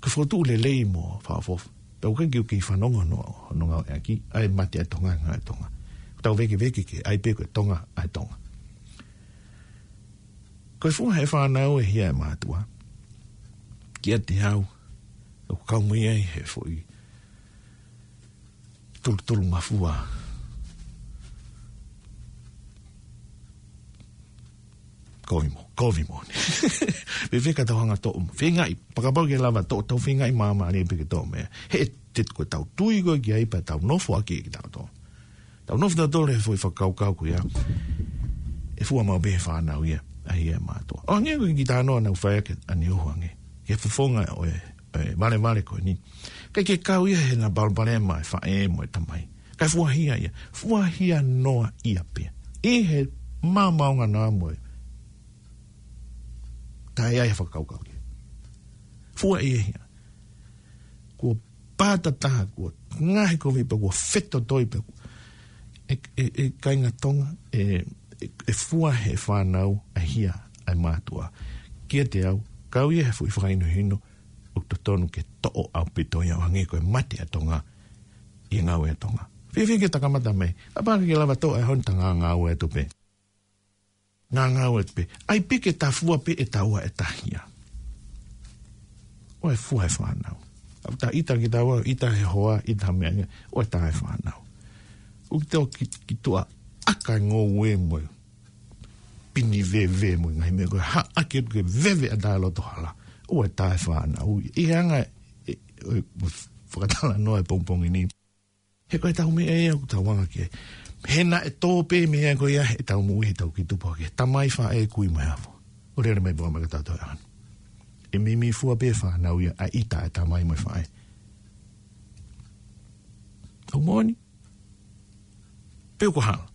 Ko e fokotuʻu lelei mo fakaʻofoʻofa. Pea ʻoku ʻikai ke u kei fanongo hono, hono ngāueʻaki, ʻa e mate ʻa Tonga he ngāue ʻa Tonga. Tau vēkeveke ke ʻai pē ko e Tonga ʻa e Tonga. Ko e fua ʻe he fānau e hia ʻa e mātuʻa, kiate au, ʻoku kau mai ai he foʻi tulutulungafua. Kovi mo, kovi mo. Fēfē ka tau hanga ʻo toʻo mo. Feingaʻi, fakapapau ke lava toʻo, tau feingaʻi māmālie pē ke toʻo meʻa. He te ko ʻetau tui ko ē ki ai pea tau nofo ʻaki kitautolu. Tau nofo tautolu he foʻi fakakaukau ko ia, ʻe fua maʻu pē ʻe he fānau ia ʻa e hia ʻa e mātuʻa. ʻO hangē ko e kiʻi talanoa naʻa ku fai ʻaki ʻaneuhu ange ki he fofonga ʻo e, e valevale ko eni. ʻIkai ke kau ia he ngaahi palopalema ʻa e faʻē mo e tamai. Kae fua hia ia. Fua hia noa ia pē ia. ʻI he maomaonganoa mo e taʻe ʻi ai ha fakakaukau ki ai. Fua ia hia. Kuo pātataha, kuo ngaohikoviʻi pea kuo fetotoi pea kuo, ʻe, ʻe, ʻe kāinga Tonga, ʻe, ʻe, ʻe fua ʻe he fānau ʻa e hia ʻa e mātuʻa. Kiate au, kau ia he foʻi fakahinohino ʻoku totonu ke toʻo ʻaupito ia ʻo hangē ko e mate ʻa Tonga ʻi he ngāue ʻa Tonga. Fēfē ke ta kamata mei ai? Kapau ke lava toʻo ʻa e ʻaho ni ta ngāngāue atu pē. Ngāngāue atu pē. ʻAi pē ke ta fua pē ʻe taua ʻeta hia. ʻOku fua ʻe he fānau. ʻOku ta ʻita kitaua, ʻita he hoa, ʻita he meʻa, ʻoku tā ʻe he fānau. ʻOku te ō ki, ki tuʻa ʻaka e ngoue mo e pini veve mo e ngaahi meʻa ko ē, haʻaki atu ke veve ʻa e loto hala. ʻOku tā ʻe he fānau. ʻI he anga e, e, e fakatalanoa e pongipongi ni. He ko ʻetau meʻa ia ʻoku tau anga ki ai. He naʻe tō pē meʻa ko ia heʻetau moʻui, heʻetau kiʻi tupu hake. Tamai, faʻē, kui mo e hafo. ʻO lele mai pē ʻo aʻu mai ki he taʻu ʻe ono. ʻE meimei fua pē ʻe he fānau ia ʻa e ʻita ʻa e tamai mo e faʻē. ʻOku moʻoni? Pe ʻoku hala?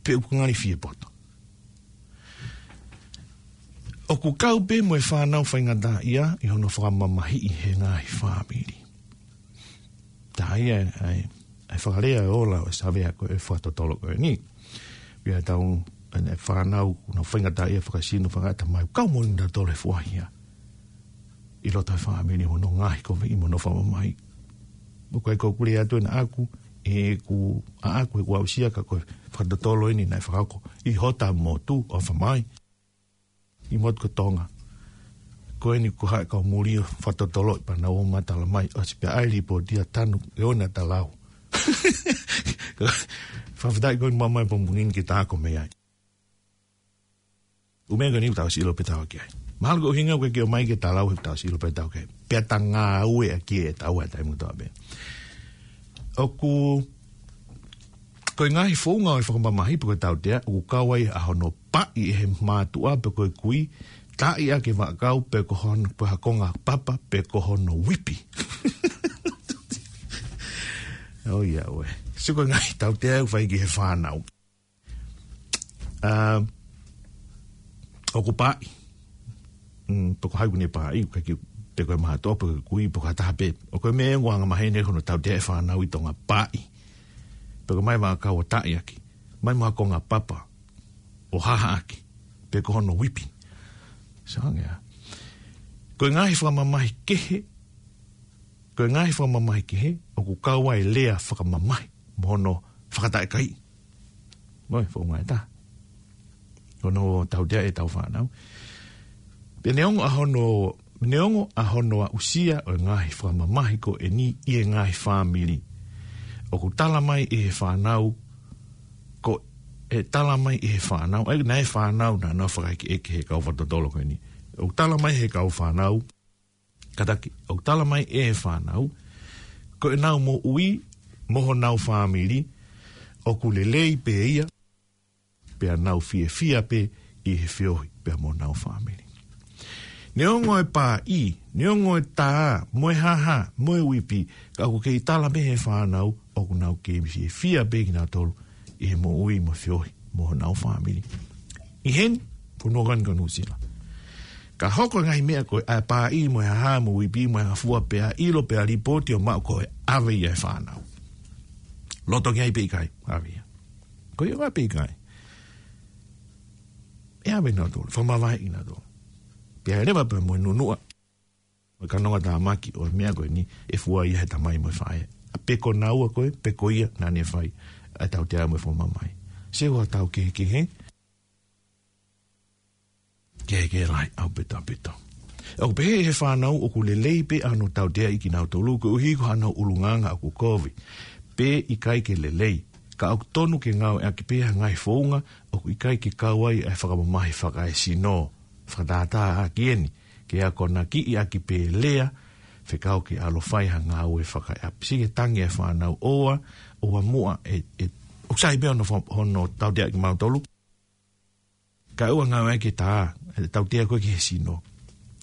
Pe ʻoku ngali fie poto? ʻOku kau pē mo e fānau faingataʻaʻia ʻi hono fakamamahiʻi ʻe he ngaahi fāmili. Tā ia ʻa e, ʻa e fakalea ʻo e ola ʻo e savea ko e fakatotolo ko eni. ʻI heʻetau, ʻa e fānau, ʻoku nau faingataʻaʻia fakasino, fakaʻatamai, kau mo kinautolu he fua hia. ʻI loto he fāmili mo hono ngaohikoviʻi mo hono fakamamahiʻi. ʻOku ʻikai ko ʻeku lea atu ena ʻaʻaku, ʻeku, ʻaʻaku ʻeku aʻusia, ka ko e fakatotolo eni naʻe fakahoko ʻi hota motu ʻo Haʻafamai. ʻI motu ko Tonga. Ko eni ko e haʻa kau muli ʻo fakatotoloʻi pea nau ō ʻo matala mai, ʻosi pē ʻa e lipooti ʻa Tanu ʻe ona ta lau. Fakafetaʻi ko eni ʻoku mamaʻo e pongipongi ni ke ta ako mei ai. ʻUhinga ko eni ʻoku tau ʻosi ʻilo pē ʻe taua ki ai. Mahalo ko e ʻuhinga ʻoku ʻikai ke ō mai ke ta lau he ʻoku tau ʻosi ʻilo pē ʻe taua ki ai. Pea ta ngāueʻaki ʻe taua he taimi kotoa pē. ʻOku, ko e ngaahi founga ʻo e fakamamahiʻi pe ko e tautea, ʻoku kau ai ʻa hono paʻi ʻe he mātuʻa pe ko e kui, taaʻi ʻaki e vaʻakau pe ko hono, pe ha konga papa pe ko hono uipi. ʻOiauē. Sio ko e ngaahi tautea ʻoku fai ki he fānau. ʻA, ʻoku paʻi. Mm, pe ko hai ʻoku ne paʻi, ʻoku ʻikai ke, pe ko e mātuʻa, pe ko e kui, pe ko ha taha pē. ʻOku ʻi ai e meʻa ʻoku angamaheni hono tautea e fānau ʻi Tonga, pāʻi. Pe ko e ʻomai ha kau ʻo taʻiʻaki. ʻOmai mo ha konga papa ʻo hahaʻaki. Pe ko hono uipi. Sio ange ā. Ko e ngaahi fakamamahi kehe, ko e ngaahi fakamamahi kehe, ʻoku kau ai e lea fakamamahi mo hono fakataʻekai. Mo e founga ʻe taha. Ko hono tautea ʻetau fānau. Pea neongo ʻa hono, neongo ʻa hono aʻusia ʻo e ngaahi fakamamahi ko eni ʻi he ngaahi fāmili, ʻoku tala mai ʻe he fānau, ko e tala mai ʻe he fānau, ʻa ia naʻe fānau naʻa nau fakaʻekeʻeke he kau fakatotolo ko eni. ʻOku tala mai ʻe he kau fānau, kātaki, ʻoku tala mai ʻe he fānau, ko ʻenau moʻui mo honau fāmili, ʻoku lelei pē ia, pea nau fiefia pē ʻi he feohi pea mo honau fāmili. Neongo e pāʻi, neongo e tā, mo e haha, mo e uipi, ka ʻoku kei tala pē ʻe he fānau, ʻoku nau kei fiefia pē kinautolu ʻi he moʻui mo e feohi mo honau fāmili. ʻI heni, fonua ko eni ko Nuʻusila. Ka hoko e ngaahi meʻa ko e ʻa e pāʻi mo e haha mo e uipi mo e hafua pea ʻilo pea lipooti ʻo maʻu ko e ʻave ia ʻe he fānau. Loto ki ai pe ʻikai, ʻave ia. Ko ia ʻave pe ʻikai. ʻE ʻave nautolu, fakamavaheʻi nautolu. Pea leva pea mo e nunuʻa ʻo e kanonga tāmaki ʻo e meʻa ko eni ʻe fua ia ʻe he tamai mo e faʻē. ʻA pe ko naua ko ē, pe ko ia naʻa ne fai ʻa e tautea mo e fakamamahi. Sio ʻa e tau kehekehe, kehekehe lahi ʻaupito ʻaupito. ʻOku pehē ʻe he fānau ʻoku lelei pē ʻa hono tauteaʻi kinautolu koeʻuhi ko honau ʻulungaanga ʻoku kovi. Pe ʻikai ke lelei. Ka ʻoku tonu ke ngāueʻaki pē ha ngaahi founga ʻoku ʻikai ke kau ai ʻa e fakamamahi fakaesino. Fakatātā ʻaki eni, ke akonakiʻi ʻaki pē lea, fekau ke ʻalu ʻo fai ha ngāue fakaʻapi. Sio ki he tangi ʻa e fānau ʻoua, ʻoua muʻa ʻe, ʻe, ʻoku sai pē hono fa-, hono tauteaʻi kimautolu. Kae ʻoua ngāueʻaki e tā, ʻe tautea koe ki he sino.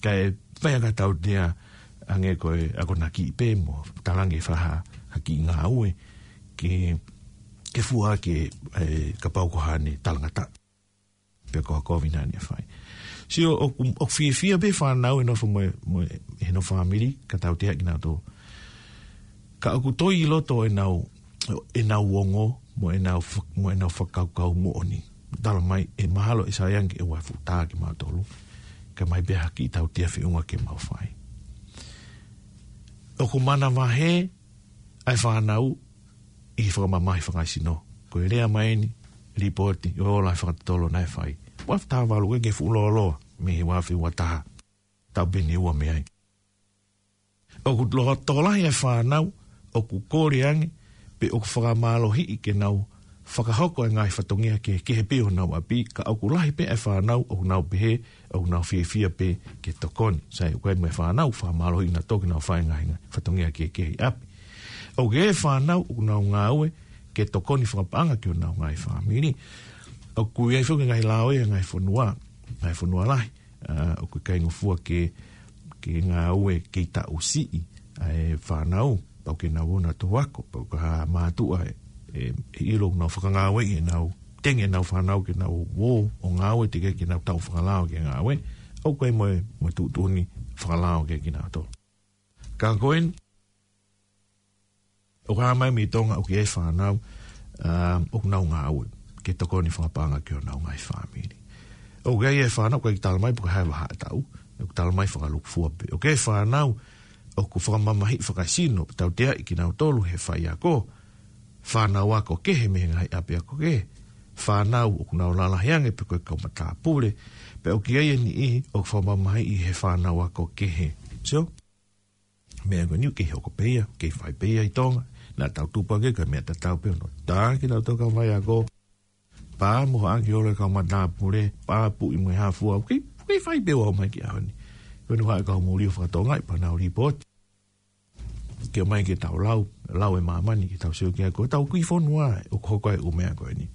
Kae fai ʻaki ha tautea hangē ko e akonakiʻi pē mo talaange faha ha kiʻi ngāue ke, ke fua ke, ʻe, kapau ko haʻane talangataʻa. Pe ko ha kovi naʻa ne fai. Sio, ʻoku, ʻoku fiefia pē fānau ʻe nofo mo e, mo e, ʻenau fāmili, ka tautea kinautolu. Ka ʻoku toe ʻi loto ʻenau, ʻenau ongo, mo ʻenau fa-, mo ʻenau fakakaukau moʻoni. Tala mai, ʻe mahalo ʻe sai ange ʻe ua futa kimautolu. Ka ʻomai pē ha kiʻi tautea feʻunga ke mau fai. ʻOku manavahē ʻa e fānau ʻi he fakamamahi fakaesino. Ko e lea mai eni, lipooti, ʻo ola e fakatotolo naʻe fai. Ua futa valu ke fuʻu lōloa, mei he ua afe ua taha. Taʻu pē ʻe ua mei ai. ʻOku lo-, tokolahi e fānau, ʻoku kole ange, pe ʻoku fakamālohiʻi ke nau fakahoko e ngaahi fatongia kehekehe pē ʻo honau ʻapi, ka ʻoku lahi pē e fānau, ʻoku nau pehē, ʻoku nau fiefia pē ke tokoni. Sai, ʻoku ʻi ai mo e fānau, fakamālohiʻi nautolu ke nau fai e ngaahi, ngaahi fatongia kehekehe ʻi ʻapi. ʻOku ʻi ai e fānau, ʻoku nau ngāue, ke tokoni fakapaʻanga ki honau ngaahi fāmili. ʻOku ʻi ai foki e ngaahi lao ʻi he ngaahi fonua, ngaahi fonua lahi. ʻA, ʻoku ʻikai ngofua ke, ke ngāue kei taʻu siʻi ʻa e fānau, pau ke nau ō nautolu ʻo ako, pau ko ha mātuʻa ʻe, ʻe, ʻe ʻilo ʻoku nau fakangāueʻi ʻenau, tenge ʻenau fānau ke nau ō ʻo ngāue teʻeki ke nau taʻu fakalao ke ngāue, ʻoku ʻi ai mo e, mo e tuʻutuʻuni fakalao ke kinautolu. Ka ko eni, ʻoku hā mai mei Tonga ʻoku ʻi ai e fānau, um, ʻoku nau ngāue ke tokoni fakapaʻanga ki honau ngaahi fāmili. ʻOku ʻi ai e fānau, ʻoku ʻikai tala mai pe ko e hā e vahaʻa taʻu, ʻoku tala mai fakalūkufua pē. ʻOku ʻi ai e fānau, ʻoku fakamamahiʻi fakaesino, tauteaʻi kinautolu ʻe he faiako, fānau ako kehe mei he ngaahi ʻapiako kehe, fānau ʻoku nau lalahi ange pe ko e kau matāpule, pea ʻoku ʻi ai e niʻihi, ʻoku fakamamahiʻi ʻe he fānau ako kehe. Sio? Meʻa ko eni ʻoku kei hoko pē ia, kei fai pē ia ʻi Tonga, naʻa tau tupu hake ko e meʻa tatau pē hono tā kinautolu kau faiako, pā mo haʻaki holo e kau matāpule, pā puʻi mo e hafua, ʻoku kei, ʻoku kei fai pē ʻo aʻu mai ki he ʻaho ni. Ko eni ʻoku haʻu e kau muli ʻo fakatonga ʻi pea nau lipooti. Ke ʻomai ke tau lau, lau e māmani ke tau sio ki ai ko ʻetau kiʻi fonua ʻoku hoko ai e ʻū meʻa ko eni.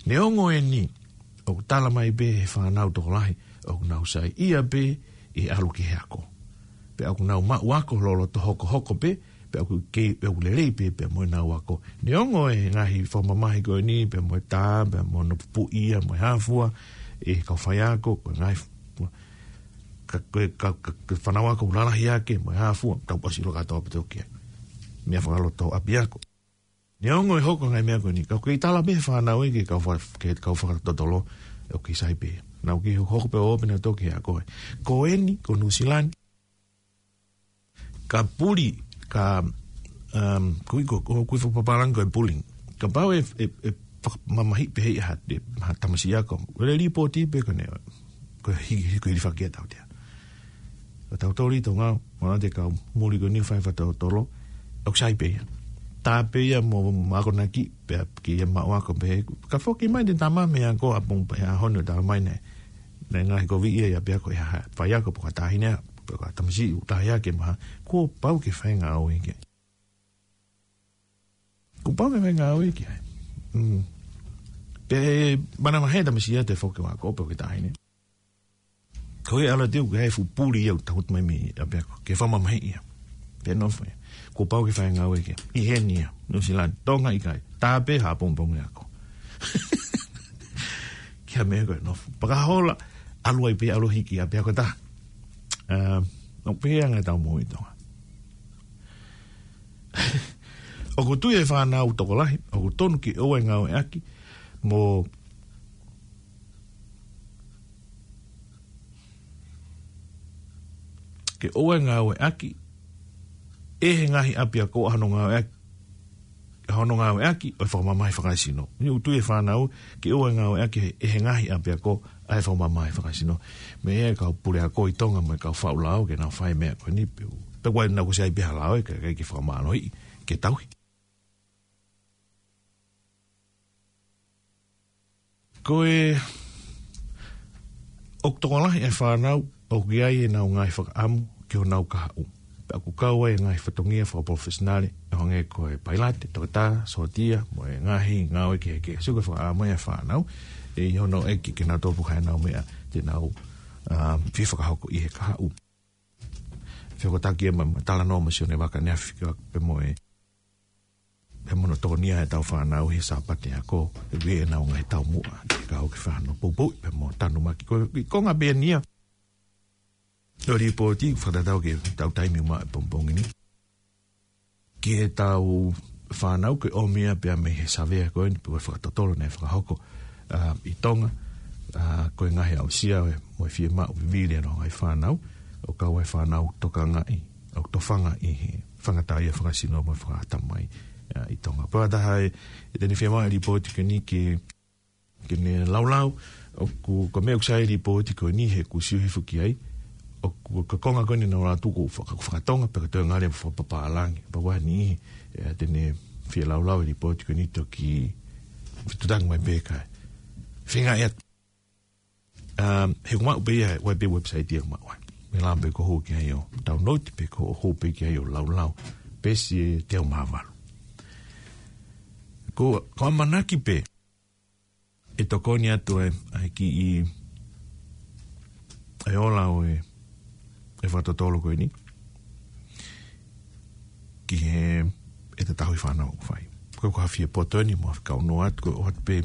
Neongo eni, ʻoku tala mai pē ʻe he fānau tokolahi, ʻoku nau saiʻia pē ʻi he ʻalu ki he ako. Pea ʻoku nau maʻu ako loloto hokohoko pē, pea ʻoku kei, pea ʻoku lelei pē, pea mo ʻenau ako. Neongo e ngaahi fakamamahi ko eni, pea mo e tā, pea mo hono pupuʻi ia, mo e hafua, ʻe he kau faiako, ko e ngaahi fu-, ka, ka, ka, ka, ka fānau ako ʻoku lalahi ake, mo e hā fua, tau pasi ʻilo kātoa pē toki ai. Meʻa fakaloto ʻapiako. Neongo e hoko e ngaahi meʻa ko eni, ka ʻoku kei tala pē fānau ē ke kau fa-, ke kau fakatotolo, ʻoku kei sai pē. Naʻa ʻoku kei hoko pē ʻo pē naʻa toki ʻa koe. Ko eni, ko Nuʻusila ni. Ka puli, ka, um, kui ko, ko, kui fakapapālangi ko e bullying. Kapau ʻe, ʻe, ʻe fakamamahiʻi pē ʻe ha, ʻe ha tamasiʻi ako. ʻOku lipoti pē ko eni, ko e hi-, hi-, ko e hilifaki ʻa tautea. Ko tautolu ʻi Tonga, mo na te kau muli ko eni fai fakatotolo, ʻoku sai pē ia. Tā pē ia mo, mo akonaki, pea ke ia maʻu ako pē. Ka foki mai te tama mei ako ʻapō pē ʻaho ni ʻo tala mai ne. Ne ngaahi kovi ia ia pea ko ia ha, faiako pe ko ha taʻahine, pe ko ha tamasiʻi ʻoku taʻahine ke maha, kuo pau ke fai ngāue ki ai. Kuo pau ke fai ngāue ki ai. Mm. Pe mana mahe tamasiʻi ʻa e foki ʻo ako pe ko ha taʻahine. Ko e ʻalu atu ʻoku ʻi ai e fuʻu puli ia ʻoku takutu mai mei ʻapiako. Ke fakamamahiʻi ia. Pea nofo ia. Kuo pau ke fai ngāue ki ai. ʻI heni ia. Nuʻusila ni. Tonga ʻikai. Tā pē ha pongipongi ako. Ki ha meʻa ko e nofo. Pakahola, ʻalu ai pē ʻalu hiki ʻapiako taha. Um, ʻoku pehē ange ʻetau moʻui ʻi Tonga. ʻOku tui e fānau tokolahi, ʻoku tonu ke ʻoua ʻe ngāueʻaki, mo ke ʻoua ʻe ngāueʻaki, ʻe he ngaahi ʻapiako ʻa hono ngāueʻaki, ʻa hono ngāueʻaki, ʻo e fakamamahi fakasino. Ni ʻoku tui e fānau, ke ʻoua ʻe ngāueʻaki ʻe he ngaahi ʻapiako, ʻa e fakamamahi fakasino. Meʻa ia e kau puleako ʻi Tonga mo e kau faʻu lao ke nau fai meʻa ko eni pe u. Pe ko e nau ko sai pē ha lao ē, ke, ke, ke fakamālohiʻi, ke tauhi. Ko e, ʻoku tokolahi e fānau, ʻoku ʻi ai ʻenau ngaahi fakaʻamu ki honau kahaʻu. Pea ʻoku kau ai e ngaahi fatongia fakapalofesinale, ʻo hangē ko e pailate, toketā, sōtia, mo e ngaahi ngāue kehekehe. Sio ko e fakaʻamu ia e fānau, ʻe ʻi hono ʻeke ke nau topu ʻenau meʻa, te nau, um, fie fakahoko ʻi he kahaʻu. Fekotaki e ma-, ma talanoa mo Sione Vaka ʻaneafi pea mo e, pea mo hono tokonia ʻetau fānau he Sāpate ako, ʻe ʻi ai ʻenau ngaahi taumuʻa, ke kau ke fai hano poupou, pea mo tanumaki ko e, ko e ngaahi pē eni ia. ʻO e lipooti, fakatatau ki heʻetau taimi ʻuma he pongipongi ni. Ki heʻetau fānau ke ʻomi ia pea mei he savea ko eni, pe ko e fakatotolo naʻe fakahoko, ʻa, ʻi Tonga, ʻa, ko e ngaahi aʻusia ʻo e, mo e fiemaʻu vivili ʻa e ngaahi fānau, ʻo kau ai e fānau tokangaʻi, ʻo tofanga ʻi he faingataʻaʻia fakasino mo e fakatamai, ʻa, ʻi Tonga. Pea taha e, ʻe te ne fiemaʻu e lipooti ko eni ke ke ne laulau, ʻoku, ko e meʻa ʻoku sai e lipooti ko eni he ʻoku ou sio hifo ki ai, ʻoku, ko e konga ko eni naʻa nau ʻalu atu ko e faka-, fakatonga, pe ko e toe ngali fakapapālangi, pea ʻoku ʻi ai e niʻihi, ʻe, te ne fie laulau e lipooti ko eni toki fetuʻutaki mai pē kae. Feinga ʻe, um, he ʻoku maʻu pē ia, ʻoku ʻi ai pē website ia ʻoku maʻu ai. Meʻa lava pē ko hoʻo hū ki ai ʻo download, pe ko hoʻo hū pē ki ai ʻo laulau. Peesi ʻe teau mā valu. Ko, ko e ʻamanaki pē, ʻe tokoni atu e, ʻa e kiʻi, ʻa e ola ʻo e, e fakatotolo ko eni. Ki he, ʻe tatau e fānau ʻoku fai. Ko e ko ha fie poto eni mo ha fie kaunoa atu, ko e ʻoatu pē,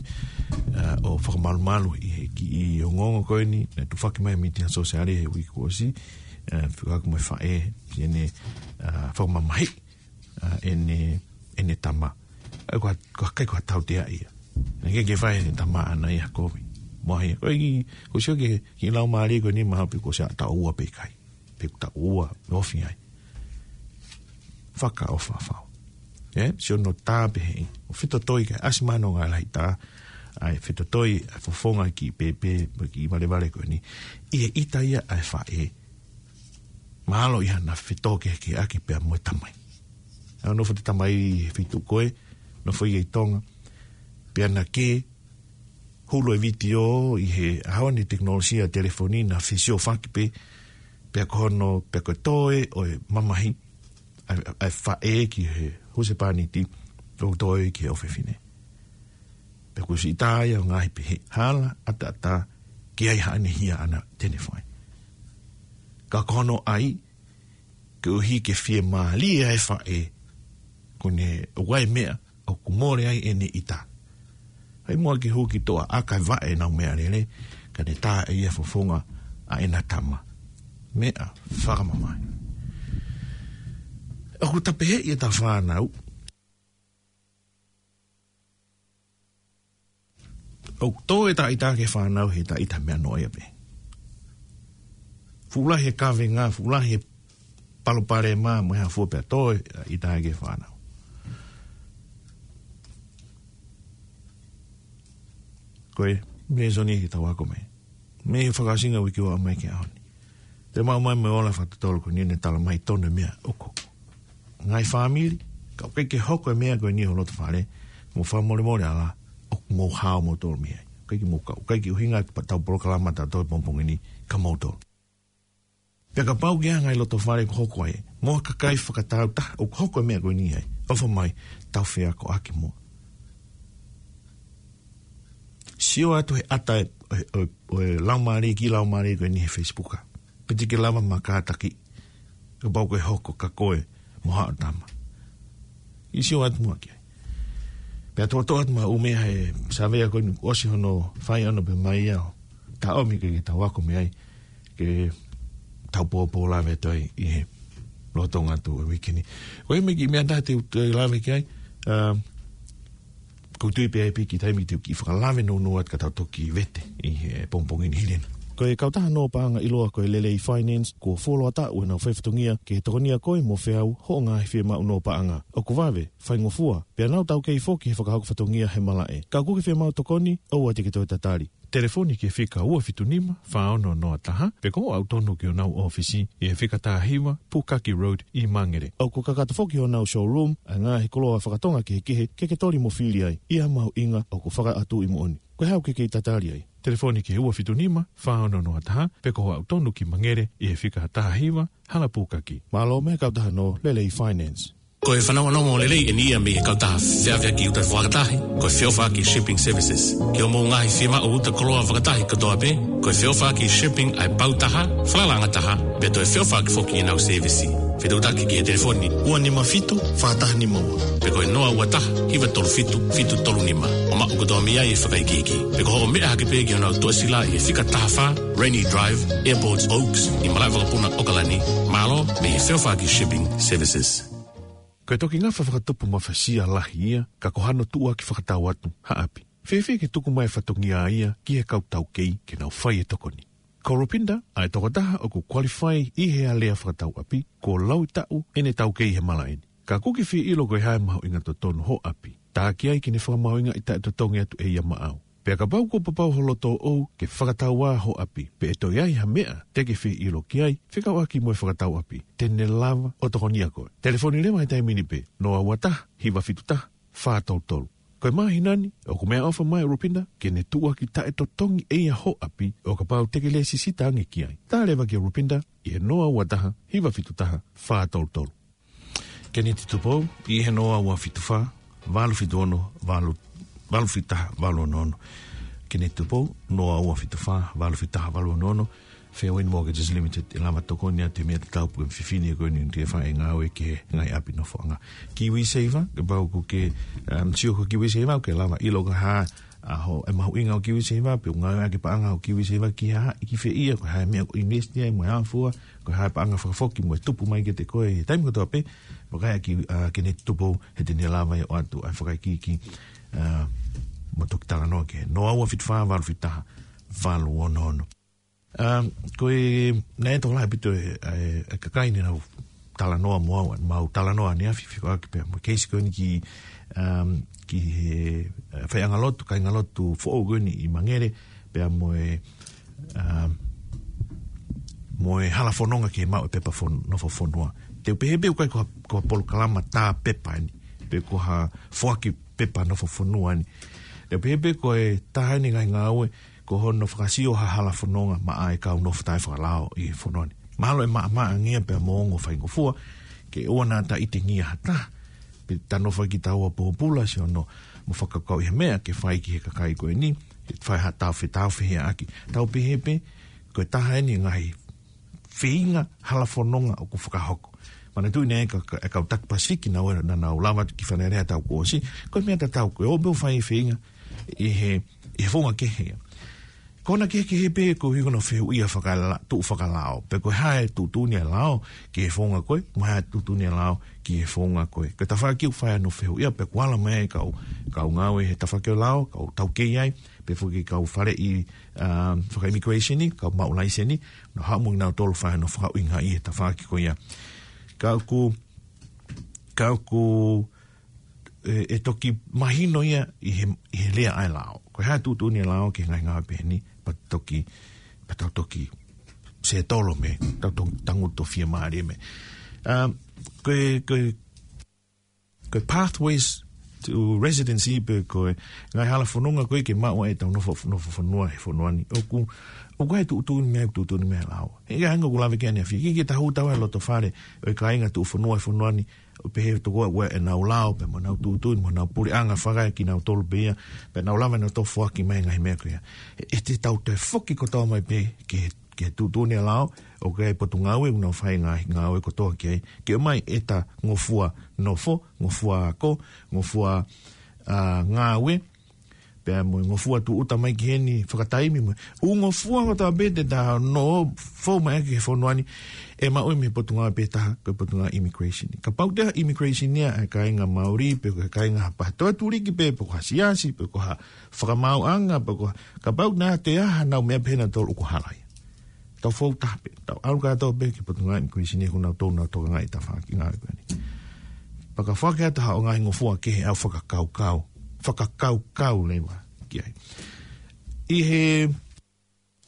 ʻa, ʻo fakamalumalu ʻi he kiʻi ongoongo ko eni, naʻe tufaki mai mei he sōsiale he uike kuo ʻosi, ʻa, fekauʻaki mo e faʻē, ʻene, ʻa, fakamamahi, ʻa, ʻene, ʻene tama. ʻA, ko ha, ko ha kai ko ha tautea ia. Naʻe ʻikai ke fai ʻe he tama ʻaʻana ia kovi. Mo ia. Ko e kiʻi, ko e sio ki he, ki he laumālie ko eni mahalo pē kuo ʻosi ʻa taʻu ua pe ʻikai. Pe ko e taʻu ua, ofi ai. Fakaʻofa fau. ʻE, sio no tā pē hei. ʻO fetotoi kae ʻasi mai hono ngaahi lahi tā. ʻA e fetotoi, ʻa e fofonga kiʻi pēpē, mo e kiʻi valevale ko eni. ʻI he ʻita ia ʻa e faʻē. Mahalo ia naʻa fetōkehekeheʻaki pea mo e tamai. ʻA e nofo ʻa e tamai he feituʻu ko ē, nofo ia ʻi Tonga. Pea naʻe hulu e vitiō ʻi he ʻaho ni tekinolosia telefoni naʻe fesiofaki pē, pea ko hono, pea ko e toe ʻo e mamahi, ʻa e, ʻa e faʻē ki he husepāniti, ʻo toe ki he ʻofefine. Pea kuo ʻosi ʻita ia ʻo ngaahi pehē hala ʻataʻatā ki ai haʻane hia ʻaʻana te ne fai. Ka ko hono ʻai, koeʻuhi ke fiemālie ʻa e faʻē, ko ʻene ʻoatu e meʻa, ʻoku mole ai ʻene ʻita. Fai muʻa ke hū ki toʻa ʻaka e vaʻe ʻenau meʻalele, ka ne tā ʻe ia e fofonga ʻa ʻena tama. Meʻa fakamamahi. ʻOku ta pehē ʻi heʻeta fānau. ʻOku tō ʻeta ʻita ki he fānau he ʻeta ʻita meʻa noa ia pē. Fuʻu lahi e kavenga, fuʻu lahi e palopalema, mo e hā fua pea tō ʻeta ʻita ki he fānau. Ko e, meʻa soni ki tau ako mai. Mei he fakaʻosinga uike ua mai ki he ʻaho ni. Te mau mai mo e ola fakatotolo ko eni ne tala mai tonu e meʻa ʻoku hoko. Ngaahi fāmili, ka ʻoku ʻikai ke hoko e meʻa ko eni ho loto fale, mo fakamolemole ala, ʻoku mou hao moutolu mei ai. ʻIkai ke mou kau, ʻikai ke ʻuhinga ʻetau polokalama ʻatautolu he pongipongi ni kia moutolu. Pea kapau ʻoku ʻi ai ha ngaahi loto fale ʻoku hoko ai, mo ha kakai fakatau taha ʻoku hoko e meʻa ko eni ai, ʻofa mai, tau feakoʻaki mo. Sio atu he ʻata e, e, e, e laumālie ki laumālie ko eni he Facebook. Pe te ke lava mo kātaki, kapau ʻoku ke hoko kia koe mo haʻo tama. ʻI sio atu muʻa ki ai. Pea toʻotoʻo atu maʻu meʻa he savea ko eni ʻosi hono fai ʻana pē mai ia ʻo taʻomi ke, ke tau ako mei ai ke tau pōpō lave atu ai ʻi he lolotonga atu e uike ni. Ko e meʻa ki meʻa taha te u, te u lave ki ai, um, ʻoku ou tui pē ʻe piki taimi te u kiʻi fakalave nounou atu ka tau toki vete ʻi he pongipongi ni hili ena. Ko e kautaha nō paʻanga ʻiloa ko e Lelei Finance, kuo fuoloa taʻu ʻenau fai fatongia ke tokonia koe mo feau hoʻo ngaahi fiemaʻu nō paʻanga. ʻOku vave, faingofua, pea nau taukei foki he fakahoko fatongia he malaʻe. Ka ʻoku ke fiemaʻu tokoni, ʻoua te ke toe tatali. Telefoni ki he fika ua fitu nima, fā ono noa taha, pe ko hoʻo aʻu tonu ki honau ʻōfisi ʻi he fika taha hiva, Pukaki Road ʻi Mangere. ʻOku kakato foki honau showroom ʻa e ngaahi koloa fakatonga kehekehe ke ke toli mo fili ai ʻi ha mahuʻinga ʻoku fakaʻatu ʻi moʻoni. Ko e hā ʻoku ke kei tatali ai? Telefoni ki he ua fitu nima, fā ono noa taha, pe ko hoʻo aʻu tonu ki Mangere ʻi he fika taha hiva, Hala Pukaki. Mālō mei he kautaha nō Lelei Finance. Ko e fanongonongo lelei eni ia mei he kautaha feʻaveʻaki uta fakatahi, ko e Feʻofaʻaki Shipping Services. Ki hoʻomou ngaahi fiemaʻu uta koloa fakatahi kotoa pē, ko e Feʻofaʻaki Shipping ʻa e pau taha, falalaʻanga taha, pea toe feʻofaʻaki foki ʻenau sēvisi. Fetuʻutaki ki he telefoni ua nima fitu, fā taha nima ua. Pe ko e noa ua taha, hiva tolu fitu, fitu tolu nima. ʻO maʻu kotoa mei ai e fakaikiiki. Pe ko hoʻo meʻa hake pē ki honau tuʻasila ʻi he fika taha fā, Rainy Drive, Airport Oaks, ʻi Malaʻevakapuna, ʻAokalani. Mālō mei he Feʻofaʻaki Shipping Services. Ko e toki ngafa fakatupu mafasia lahi ia, ka ko hano tuʻuaki fakatau atu, ha ʻapi. Fēfē ke tuku mai e fatongia ia ki he kau taukei ke nau fai e tokoni. Ko Rupinda, ʻa e tokotaha ʻoku qualify ʻi he alea fakatau ʻapi, kuo laui taʻu ʻene taukei he malaʻe ni. Ka ʻoku ke fie ʻilo ko e hā e mahuʻinga totonu hoʻo ʻapi. Tā ki ai ke ne fakamahuʻingaʻi taʻetotongi atu ʻe ia maʻau. Pea kapau kuo papau ho loto ʻoʻou ke fakatau ā hoʻo ʻapi, pe ʻe toe ʻi ai ha meʻa te ke fie ʻilo ki ai, fekauʻaki mo e fakatau ʻapi, te ne lava ʻo tokonia koe. Telefoni leva he taimi ni pē, noa ua taha, hiva fitu taha, fā tolu tolu. Ko e māhina ni, ʻoku meʻaʻofa mai ʻa Rupinda ke ne tuʻuaki taʻetotongi ʻe ia hoʻo ʻapi, ʻo kapau te ke lēsisita ange ki ai. Tā leva kia Rupinda ʻi he noa ua taha, hiva fitu taha, fā tolu tolu. Keneti Tupou, ʻi he noa ua fitu fā, valu fitu ono, valu, valu fitu taha, valu ono ono. Keneti Tupou, noa ua fitu fā, valu fitu taha, valu ono ono. Fairwind Mortgages Limited, ʻe lava tokoni atu he meʻa tatau pē ko e fefine ko eni ʻoku fai e ngāue ki he ngaahi ʻapi nofoʻanga. KiwiSaver, kapau ʻoku ke, um, sio ko e KiwiSaver, ʻoku ke lava ʻilo ko e hā ʻa hoʻo, e mahuʻinga ʻo e KiwiSaver, pe ʻoku ngāueʻaki e paʻanga ʻo e KiwiSaver ki ha, ki fē ia, ko e hā e meʻa ʻoku invest ai, mo e hā fua, ko e hā e paʻanga fakafoki mo e tupu mai kiate koe he taimi kotoa pē, mo e kae ki, ā, Keneti Tupou, he te ne lava ʻo ʻoatu ʻa e fakaikiiki, ā, mo toki talanoa ki he noa ua fitu fā, valu fitu taha, valu ono ono. Ā, ko e, naʻe tokolahi ʻaupito e, e, e kakai ne nau talanoa mo au, mau talanoa ʻaneafi, fekauʻaki pea mo e keisi ko eni ki, um, ki he, ā, faiʻanga lotu, kāingalotu foʻou ko eni ʻi Mangere, pea mo e, um, mo e hala fononga ke maʻu e pepa fon-, nofo fonua. Te u pehē pē ʻoku ʻikai ko ha, ko ha polokalama tā pepa eni, pe ko ha foaki pepa nofo fonua eni. Te u pehē pē ko e taha eni e ngaahi ngāue, ko hono fakasio ha hala fononga maʻa e kau nofo taʻefakalao ʻi he fonua ni. Mahalo ʻe maʻamaʻa ange ia pea mo ongo faingofua, ke ʻoua naʻa ta ʻitengia ha taha, pe ta nofo ai kitaua pōpula, sio, mo fakakaukauʻi ha meʻa ke fai ki he kakai ko eni, ke fai ha tau fe-, tau fehiʻaʻaki. Tau pehē pē, ko e taha eni e ngaahi feinga hala fononga ʻoku fakahoko. Manatuʻi naʻe ka-, ka-, e kau taki Pasifiki naʻa nau, naʻa nau lava atu ki Fale Alea he taʻu kuo ʻosi, ko e meʻa tatau ko e ō pē ʻo fai e feinga ʻi he, ʻi he founga kehe. Ko hono kehekehe pē ko e hiko no fehuʻia fakala-, tuʻu fakalao. Pe ko e hā e tuʻutuʻuni ʻa e lao ki he founga ko ē, mo e hā e tuʻutuʻuni ʻa e lao ki he founga ko ē. Ko e tafaʻaki ʻoku fai ai hono fehuʻia pe kuo ala mai e kau, kau ngāue he tafaʻaki ʻo e lao, kau taukei ai, pe foki kau faleʻi, um, faka-immigration ni, kau maʻu laiseni, nau haʻu mo kinautolu fai hono fakaʻuhingaʻi he tafaʻaki ko ia. Ka ʻoku, ka ʻoku, e, e toki mahino ia ʻi he, ʻi he lea ʻa e lao. Ko e hā e tuʻutuʻuni ʻa e lao ki he ngaahi ngāue pehē ni, pea toki, pea tau toki settle mei, tau to-, tangutu fiemālie mei. Um, ko e, ko e, ko e pathways to residency pe ko e ngaahi hala fononga ko ē ke maʻu ai ʻetau nofo, nofo fonua he fonua ni. ʻOku, ʻoku ʻi ai e tuʻutuʻuni mei ai, tuʻutuʻuni mei ai e lao. He ʻikai hanga ʻoku lave ki ai ʻaneafi, ke, ke ta hū tau he loto fale ʻo e kāinga tuʻu fonua he fonua ni, ʻo pehē tokua ʻoku ʻi ai ʻenau lao, pea mo ʻenau tuʻutuʻuni, mo ʻenau puleʻanga fakaekinautolu pē ia, pea nau lava nautolu ʻo foaki mai e ngaahi meʻa ko ia. ʻE, ʻe te tau toe foki kotoa mai pē ki he, ki he tuʻutuʻuni ʻa e lao, ʻoku ʻi ai e potungāue ʻoku nau fai e ngaahi ngāue kotoa ki ai, ke ʻomai ʻeta ngofua nofo, ngofua ako, ngofua, ā, ngāue, pea mo e ngofua tūʻuta mai ki heni fakataimi mo e ʻū ngofua kotoa pē te ta nofo mai ʻaki he fonua ni, ʻe maʻu ia mei he potungāue pē taha, ko e potungāue immigration. Kapau ko e immigration ia ʻa e kāinga Māori, pe ko e kāinga ha pātoa tuliki pē, pe ko ha siasi, pe ko ha fakamaauʻanga, pe ko ha, kapau naʻe ʻi ai haʻanau meʻa pehē nautolu ʻoku hala ia. Tau fou taha pē, tau ʻalu kātoa pē ki he potungāue immigration ni, ʻoku nau tonu ʻo tokangaʻi e tafaʻaki ngāue ko eni. Pea ka foaki atu haʻo ngaahi ngofua kehe ʻo fakakaukau, fakakaukau leva ki ai. ʻI he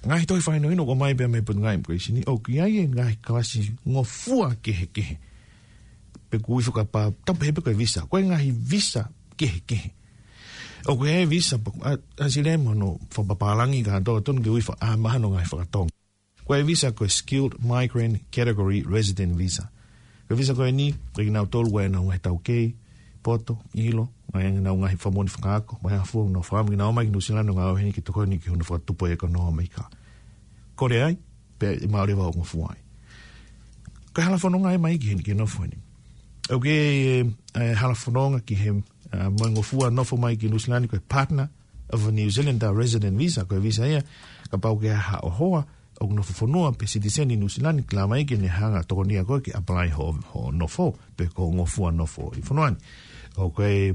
ngaahi tohi fakahinohino ʻoku ʻomai pē mei he potungāue immigration ni, ʻoku ʻi ai e ngaahi kalasi ngofua kehekehe. Pe ʻoku ui fakapā-, tapu he pe ko e visa. Ko e ngaahi visa kehekehe. ʻOku ʻi ai e visa, pa-, ʻa, ʻa sile mo hono fakapapālangi kātoa, tonu ke ui fa-, ʻa, mahalo ngaahi fakatonga. Ko e visa ko e Skilled Migrant Category Resident Visa. Ko e visa ko eni, ko kinautolu ʻoku ʻi ai ʻenau ngaahi taukei, poto, ʻilo, ʻoku ʻi ai ʻenau ngaahi fakamoʻoni fakaako, mo e hā fua, nau fakaʻamu ke nau ō mai ki Nuʻu Sila ʻo ngāue heni ke tokoni ki hono fakatupu e ʻekonōmika. Kole ai, pea ʻe maʻu leva hoʻo ngofua ai. Ko e hala fononga ia mai ki heni, ki he nofo heni. ʻOku ʻi ai e, e hala fononga ki he, ā, mo e ngofua nofo mai ki Nuʻu Sila ni ko e Partner of a New Zealand Resident Visa, ko e visa ia, kapau ʻoku ʻi ai haʻo hoa, ʻoku nofo fonua pe citizen ʻi Nuʻu Sila ni, ʻe lava mai ke ne hanga ʻo tokonia koe ke apply hoʻo, hoʻo nofo, pe ko e ngofua nofo ʻi fonua ni. ʻOku ʻi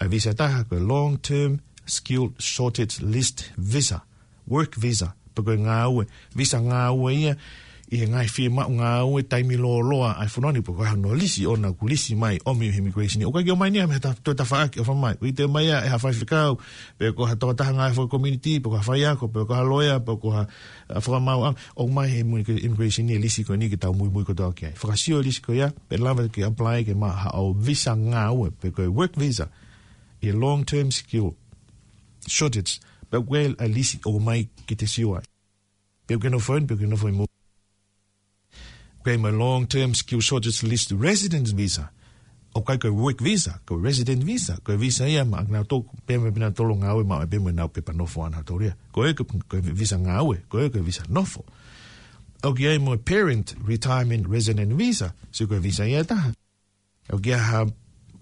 ai e visa ʻe taha, ko e Long Term Skilled Shortage List Visa, Work Visa, pe ko e ngāue, visa ngāue ia, ʻi he ngaahi fiemaʻu ngāue taimi lōloa ʻa e fonua ni, pe ko hano lisi ʻoku nau lisi mai, ʻomi ʻe he immigration ni. ʻOku ʻikai ke ʻomai ia mei ha ta-, toe tafaʻaki ʻofa mai. ʻOku ʻi ai e toe ʻomai ia ʻe ha faifekau, pe ko ha tokotaha ngaahi fakakomiti, pe ko ha faiako, pe ko ha loea, pe ko ha, ā, fakamaauʻanga. ʻOmai ʻe he immigration ni e lisi ko eni ke tau muimui kotoa ki ai. Fakasio e lisi ko ia, pea lava ke apply ke maʻu haʻo visa ngāue, pe ko e work visa, ʻi he long term skill shortage, pea ʻoku ʻi ai e lisi ʻoku ʻomai ke te sio ai. Pe ʻoku ke nofo heni, pe ʻoku ke nofo ʻi mui. ʻOku ʻi ai mo e long term skill shortage list residence visa. ʻOku ʻikai ko e work visa, ko e resident visa, ko e visa ia maʻanautolu, pea mo ʻenautolu ngāue maʻu ai pē mo ʻenau pepa nofo ʻanautolu ia. Ko e, ko e visa ngāue, ko e, ko e visa nofo. ʻOku ʻi ai mo e parent retirement resident visa, sio ko e visa ia ʻe taha. ʻOku ʻi ai ha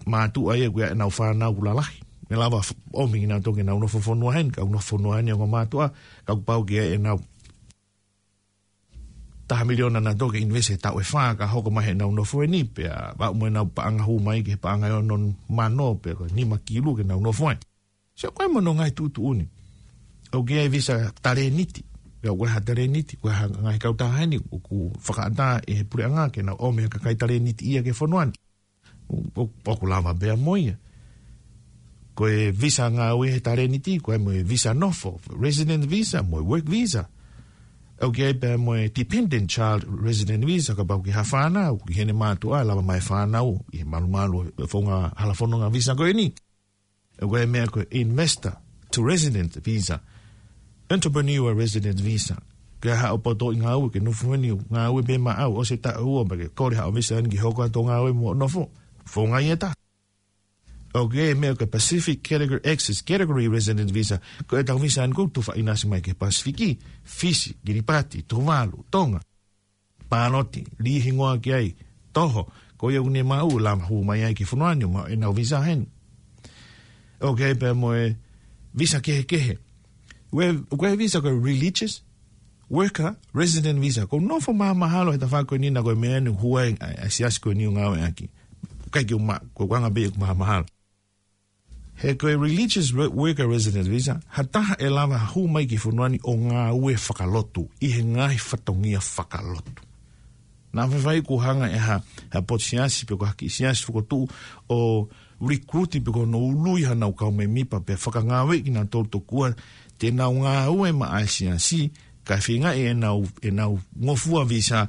mātuʻa ia ʻoku ʻi ai ʻenau fānau ʻoku lalahi. ʻE lava f-, ʻomi kinautolu ke nau nofo fonua heni, ka ʻoku nofo fonua heni ʻa e mātuʻa, ka kuo pau ke ʻi ai ʻenau taha miliona nautolu ke invest he taʻu ʻe fā ka hoko mai heʻenau nofo heni, pea aʻu mo ʻenau paʻanga hū mai ki he paʻanga ʻe ono mano, pe ko e nima kilu ke nau nofo ai. Sio ko e mo hono ngaahi tuʻutuʻuni. ʻOku ʻi ai e visa talēniti. Pea ʻoku ʻi ai ha talēniti, ʻoku ʻi ai ha ngaahi kautaha heni, ʻoku fakaʻatā ʻe he puleʻanga ke nau ʻomi ha kakai talēniti ia ki he fonua ni. ʻO, ʻo, ʻoku lava pē ia mo ia. Ko e visa ngāue he talēniti, ʻoku ʻi ai mo e visa nofo, resident visa, mo e work visa. ʻOku ʻi ai pē mo e dependent child resident visa, kapau ʻoku ʻi ai ha fānau, ʻoku ʻi heni e mātuʻa, lava mai e fānau, ʻi he malumalu e founga hala fononga visa ko eni. ʻOku ʻi ai e meʻa ko e investor to resident visa, entrepreneur resident visa. Ke haʻo poto ʻi ngāue ke nofo heni ʻo ngāue pē maʻau ʻosi e taʻu ua pea ke kole haʻo visa heni ke hoko atu ʻo ngāue mo nofo. Founga ia ʻe taha. ʻOku ʻi ai e meʻa ko e Pacific Category Access Category Resident Visa. Ko ʻetau visa heni ʻoku tufa ʻinasi mai ki he Pasifiki, Fisi, Kiripati, Tuvalu, Tonga. Pāloti, lī hingoa ki ai, toho, ko ia ʻoku ne maʻu, lava hū mai ai ki he fonua ni ʻo maʻu ʻenau visa heni. ʻOku ʻi ai pē mo e visa kehekehe. Ko e, ko e visa ko e religious worker resident visa. Ko e nofo mahamahalo he tafaʻaki ko eni naʻa ko e meʻa ni hua ai ʻa e siasi ko eni ʻoku ngāueʻaki. ʻIkai ke u ma-, ko e anga pē ʻeku mahamahalo. He ko e religious re-, worker resident visa, ha taha ʻe lava hū mai ki he fonua ni ʻo ngāue fakalotu, ʻi he ngaahi fatongia fakalotu. Naʻa faifai kuo hanga ʻe ha, ha potu siasi pe ko ha kiʻi siasi fokotuʻu ʻo recruit pe ko hono ului haʻanau kau mēmipa pea fakangāueʻi kinautolu tokua te nau ngāue maʻa e siasi, kae feingaʻi ʻenau, ʻenau ngofua visa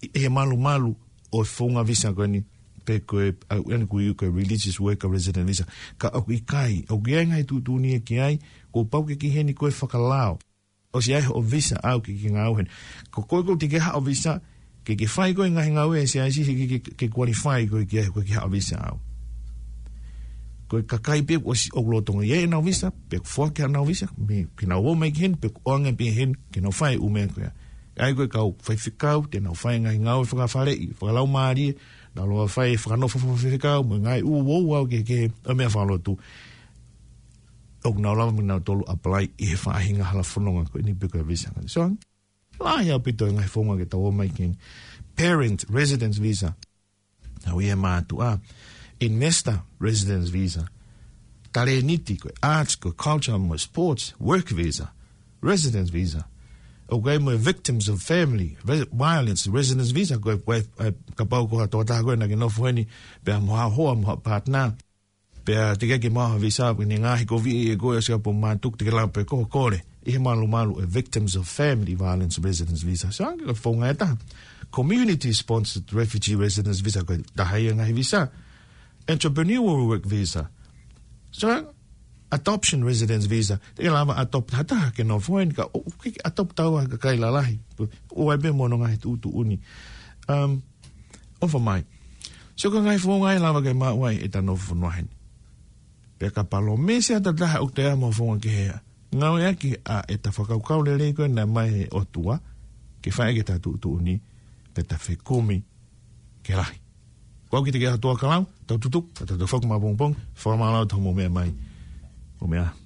ʻi he malumalu ʻo e founga visa ko eni, pe ko e, ʻa, ʻeni ko e, ko e religious worker resident visa. Ka ʻoku ʻikai, ʻoku ʻi ai e ngaahi tuʻutuʻuni ia ki ai, kuo pau ke ke ʻi heni ko e fakalao. ʻOsi ʻi ai hoʻo visa ʻaʻau ke ke ngāue heni. Ko koe ʻoku teʻeki ke haʻo visa, ke ke fai koe ngaahi ngāue ʻa e siasi he ke, ke, ke qualify koe ki ai, ko e ke haʻo visa ʻaʻau. Ko e kakai pē ʻosi ʻoku lolotonga ʻi ai ʻenau visa, pe ʻoku foaki haʻanau visa, mei, ke nau ō mai ki heni, pe ʻoku ʻoange pē heni, ke nau fai ʻū meʻa ko ia. ʻA ia ko e kau faifekau, te nau fai ngaahi ngāue fakafaleʻi, fakalaumālie, nau lava fai fakanofo fakafaifekau, mo e ngaahi ʻū ouau kehekehe, ʻo e meʻa fakalotu. ʻOku nau lava mo kinautolu apply ʻi he faʻahinga hala fononga ko eni pe ko e visa. So, lahi ʻaupito e ngaahi founga ke tau ō mai ki heni. Parent residence visa. Nau ia mātuʻa. Investor residence visa. Talēniti ko e arts, ko e culture, mo e sports, work visa. Residence visa. ʻOku ʻi ai mo e victims of family re-, violence, residence visa. Ko e, ko e, e, kapau ko ha tokotaha ko ē naʻa ke nofo heni, pea mo ha hoa, mo ha partner. Pea teʻeki ke maʻu ha visa, pea ne ngaohi koviʻi ʻe koe ʻo Singapore, mātuku, teʻeki lava pē ko e kole. ʻI he malumalu e victims of family violence residence visa. So, ange ko e founga ʻe taha. Community sponsored refugee residence visa, ko e taha ia e ngaahi visa. Entrepreneurial work visa. So, adoption residence visa. Teʻeki lava adopt ha taha ke nofo heni ka ʻo, ʻoku ʻikai ke adopt ʻa e kakai lalahi. ʻOku ʻi ai pē mo hono ngaahi tuʻutuʻuni. Um, ʻOfa mai. So ko e ngaahi founga ia ʻe lava ke maʻu ai ʻeta nofo fonua heni. Pea ka palōmesi ʻa ha taha ʻoku toe ʻi ai mo ha founga kehe ia, ngāueʻaki ʻa ʻeta fakakaukau lelei ko ē naʻe ʻomai ʻe he ʻOtua, ke fai ʻaki ʻeta tuʻutuʻuni, pea ta fekumi ke lahi. Ko au ki te ke ʻa Tuʻa Kalau, tau tutuku, tau tutuku maʻapongipongi, fakamālō atu hoʻomou meʻa mai. Mou meʻa ā.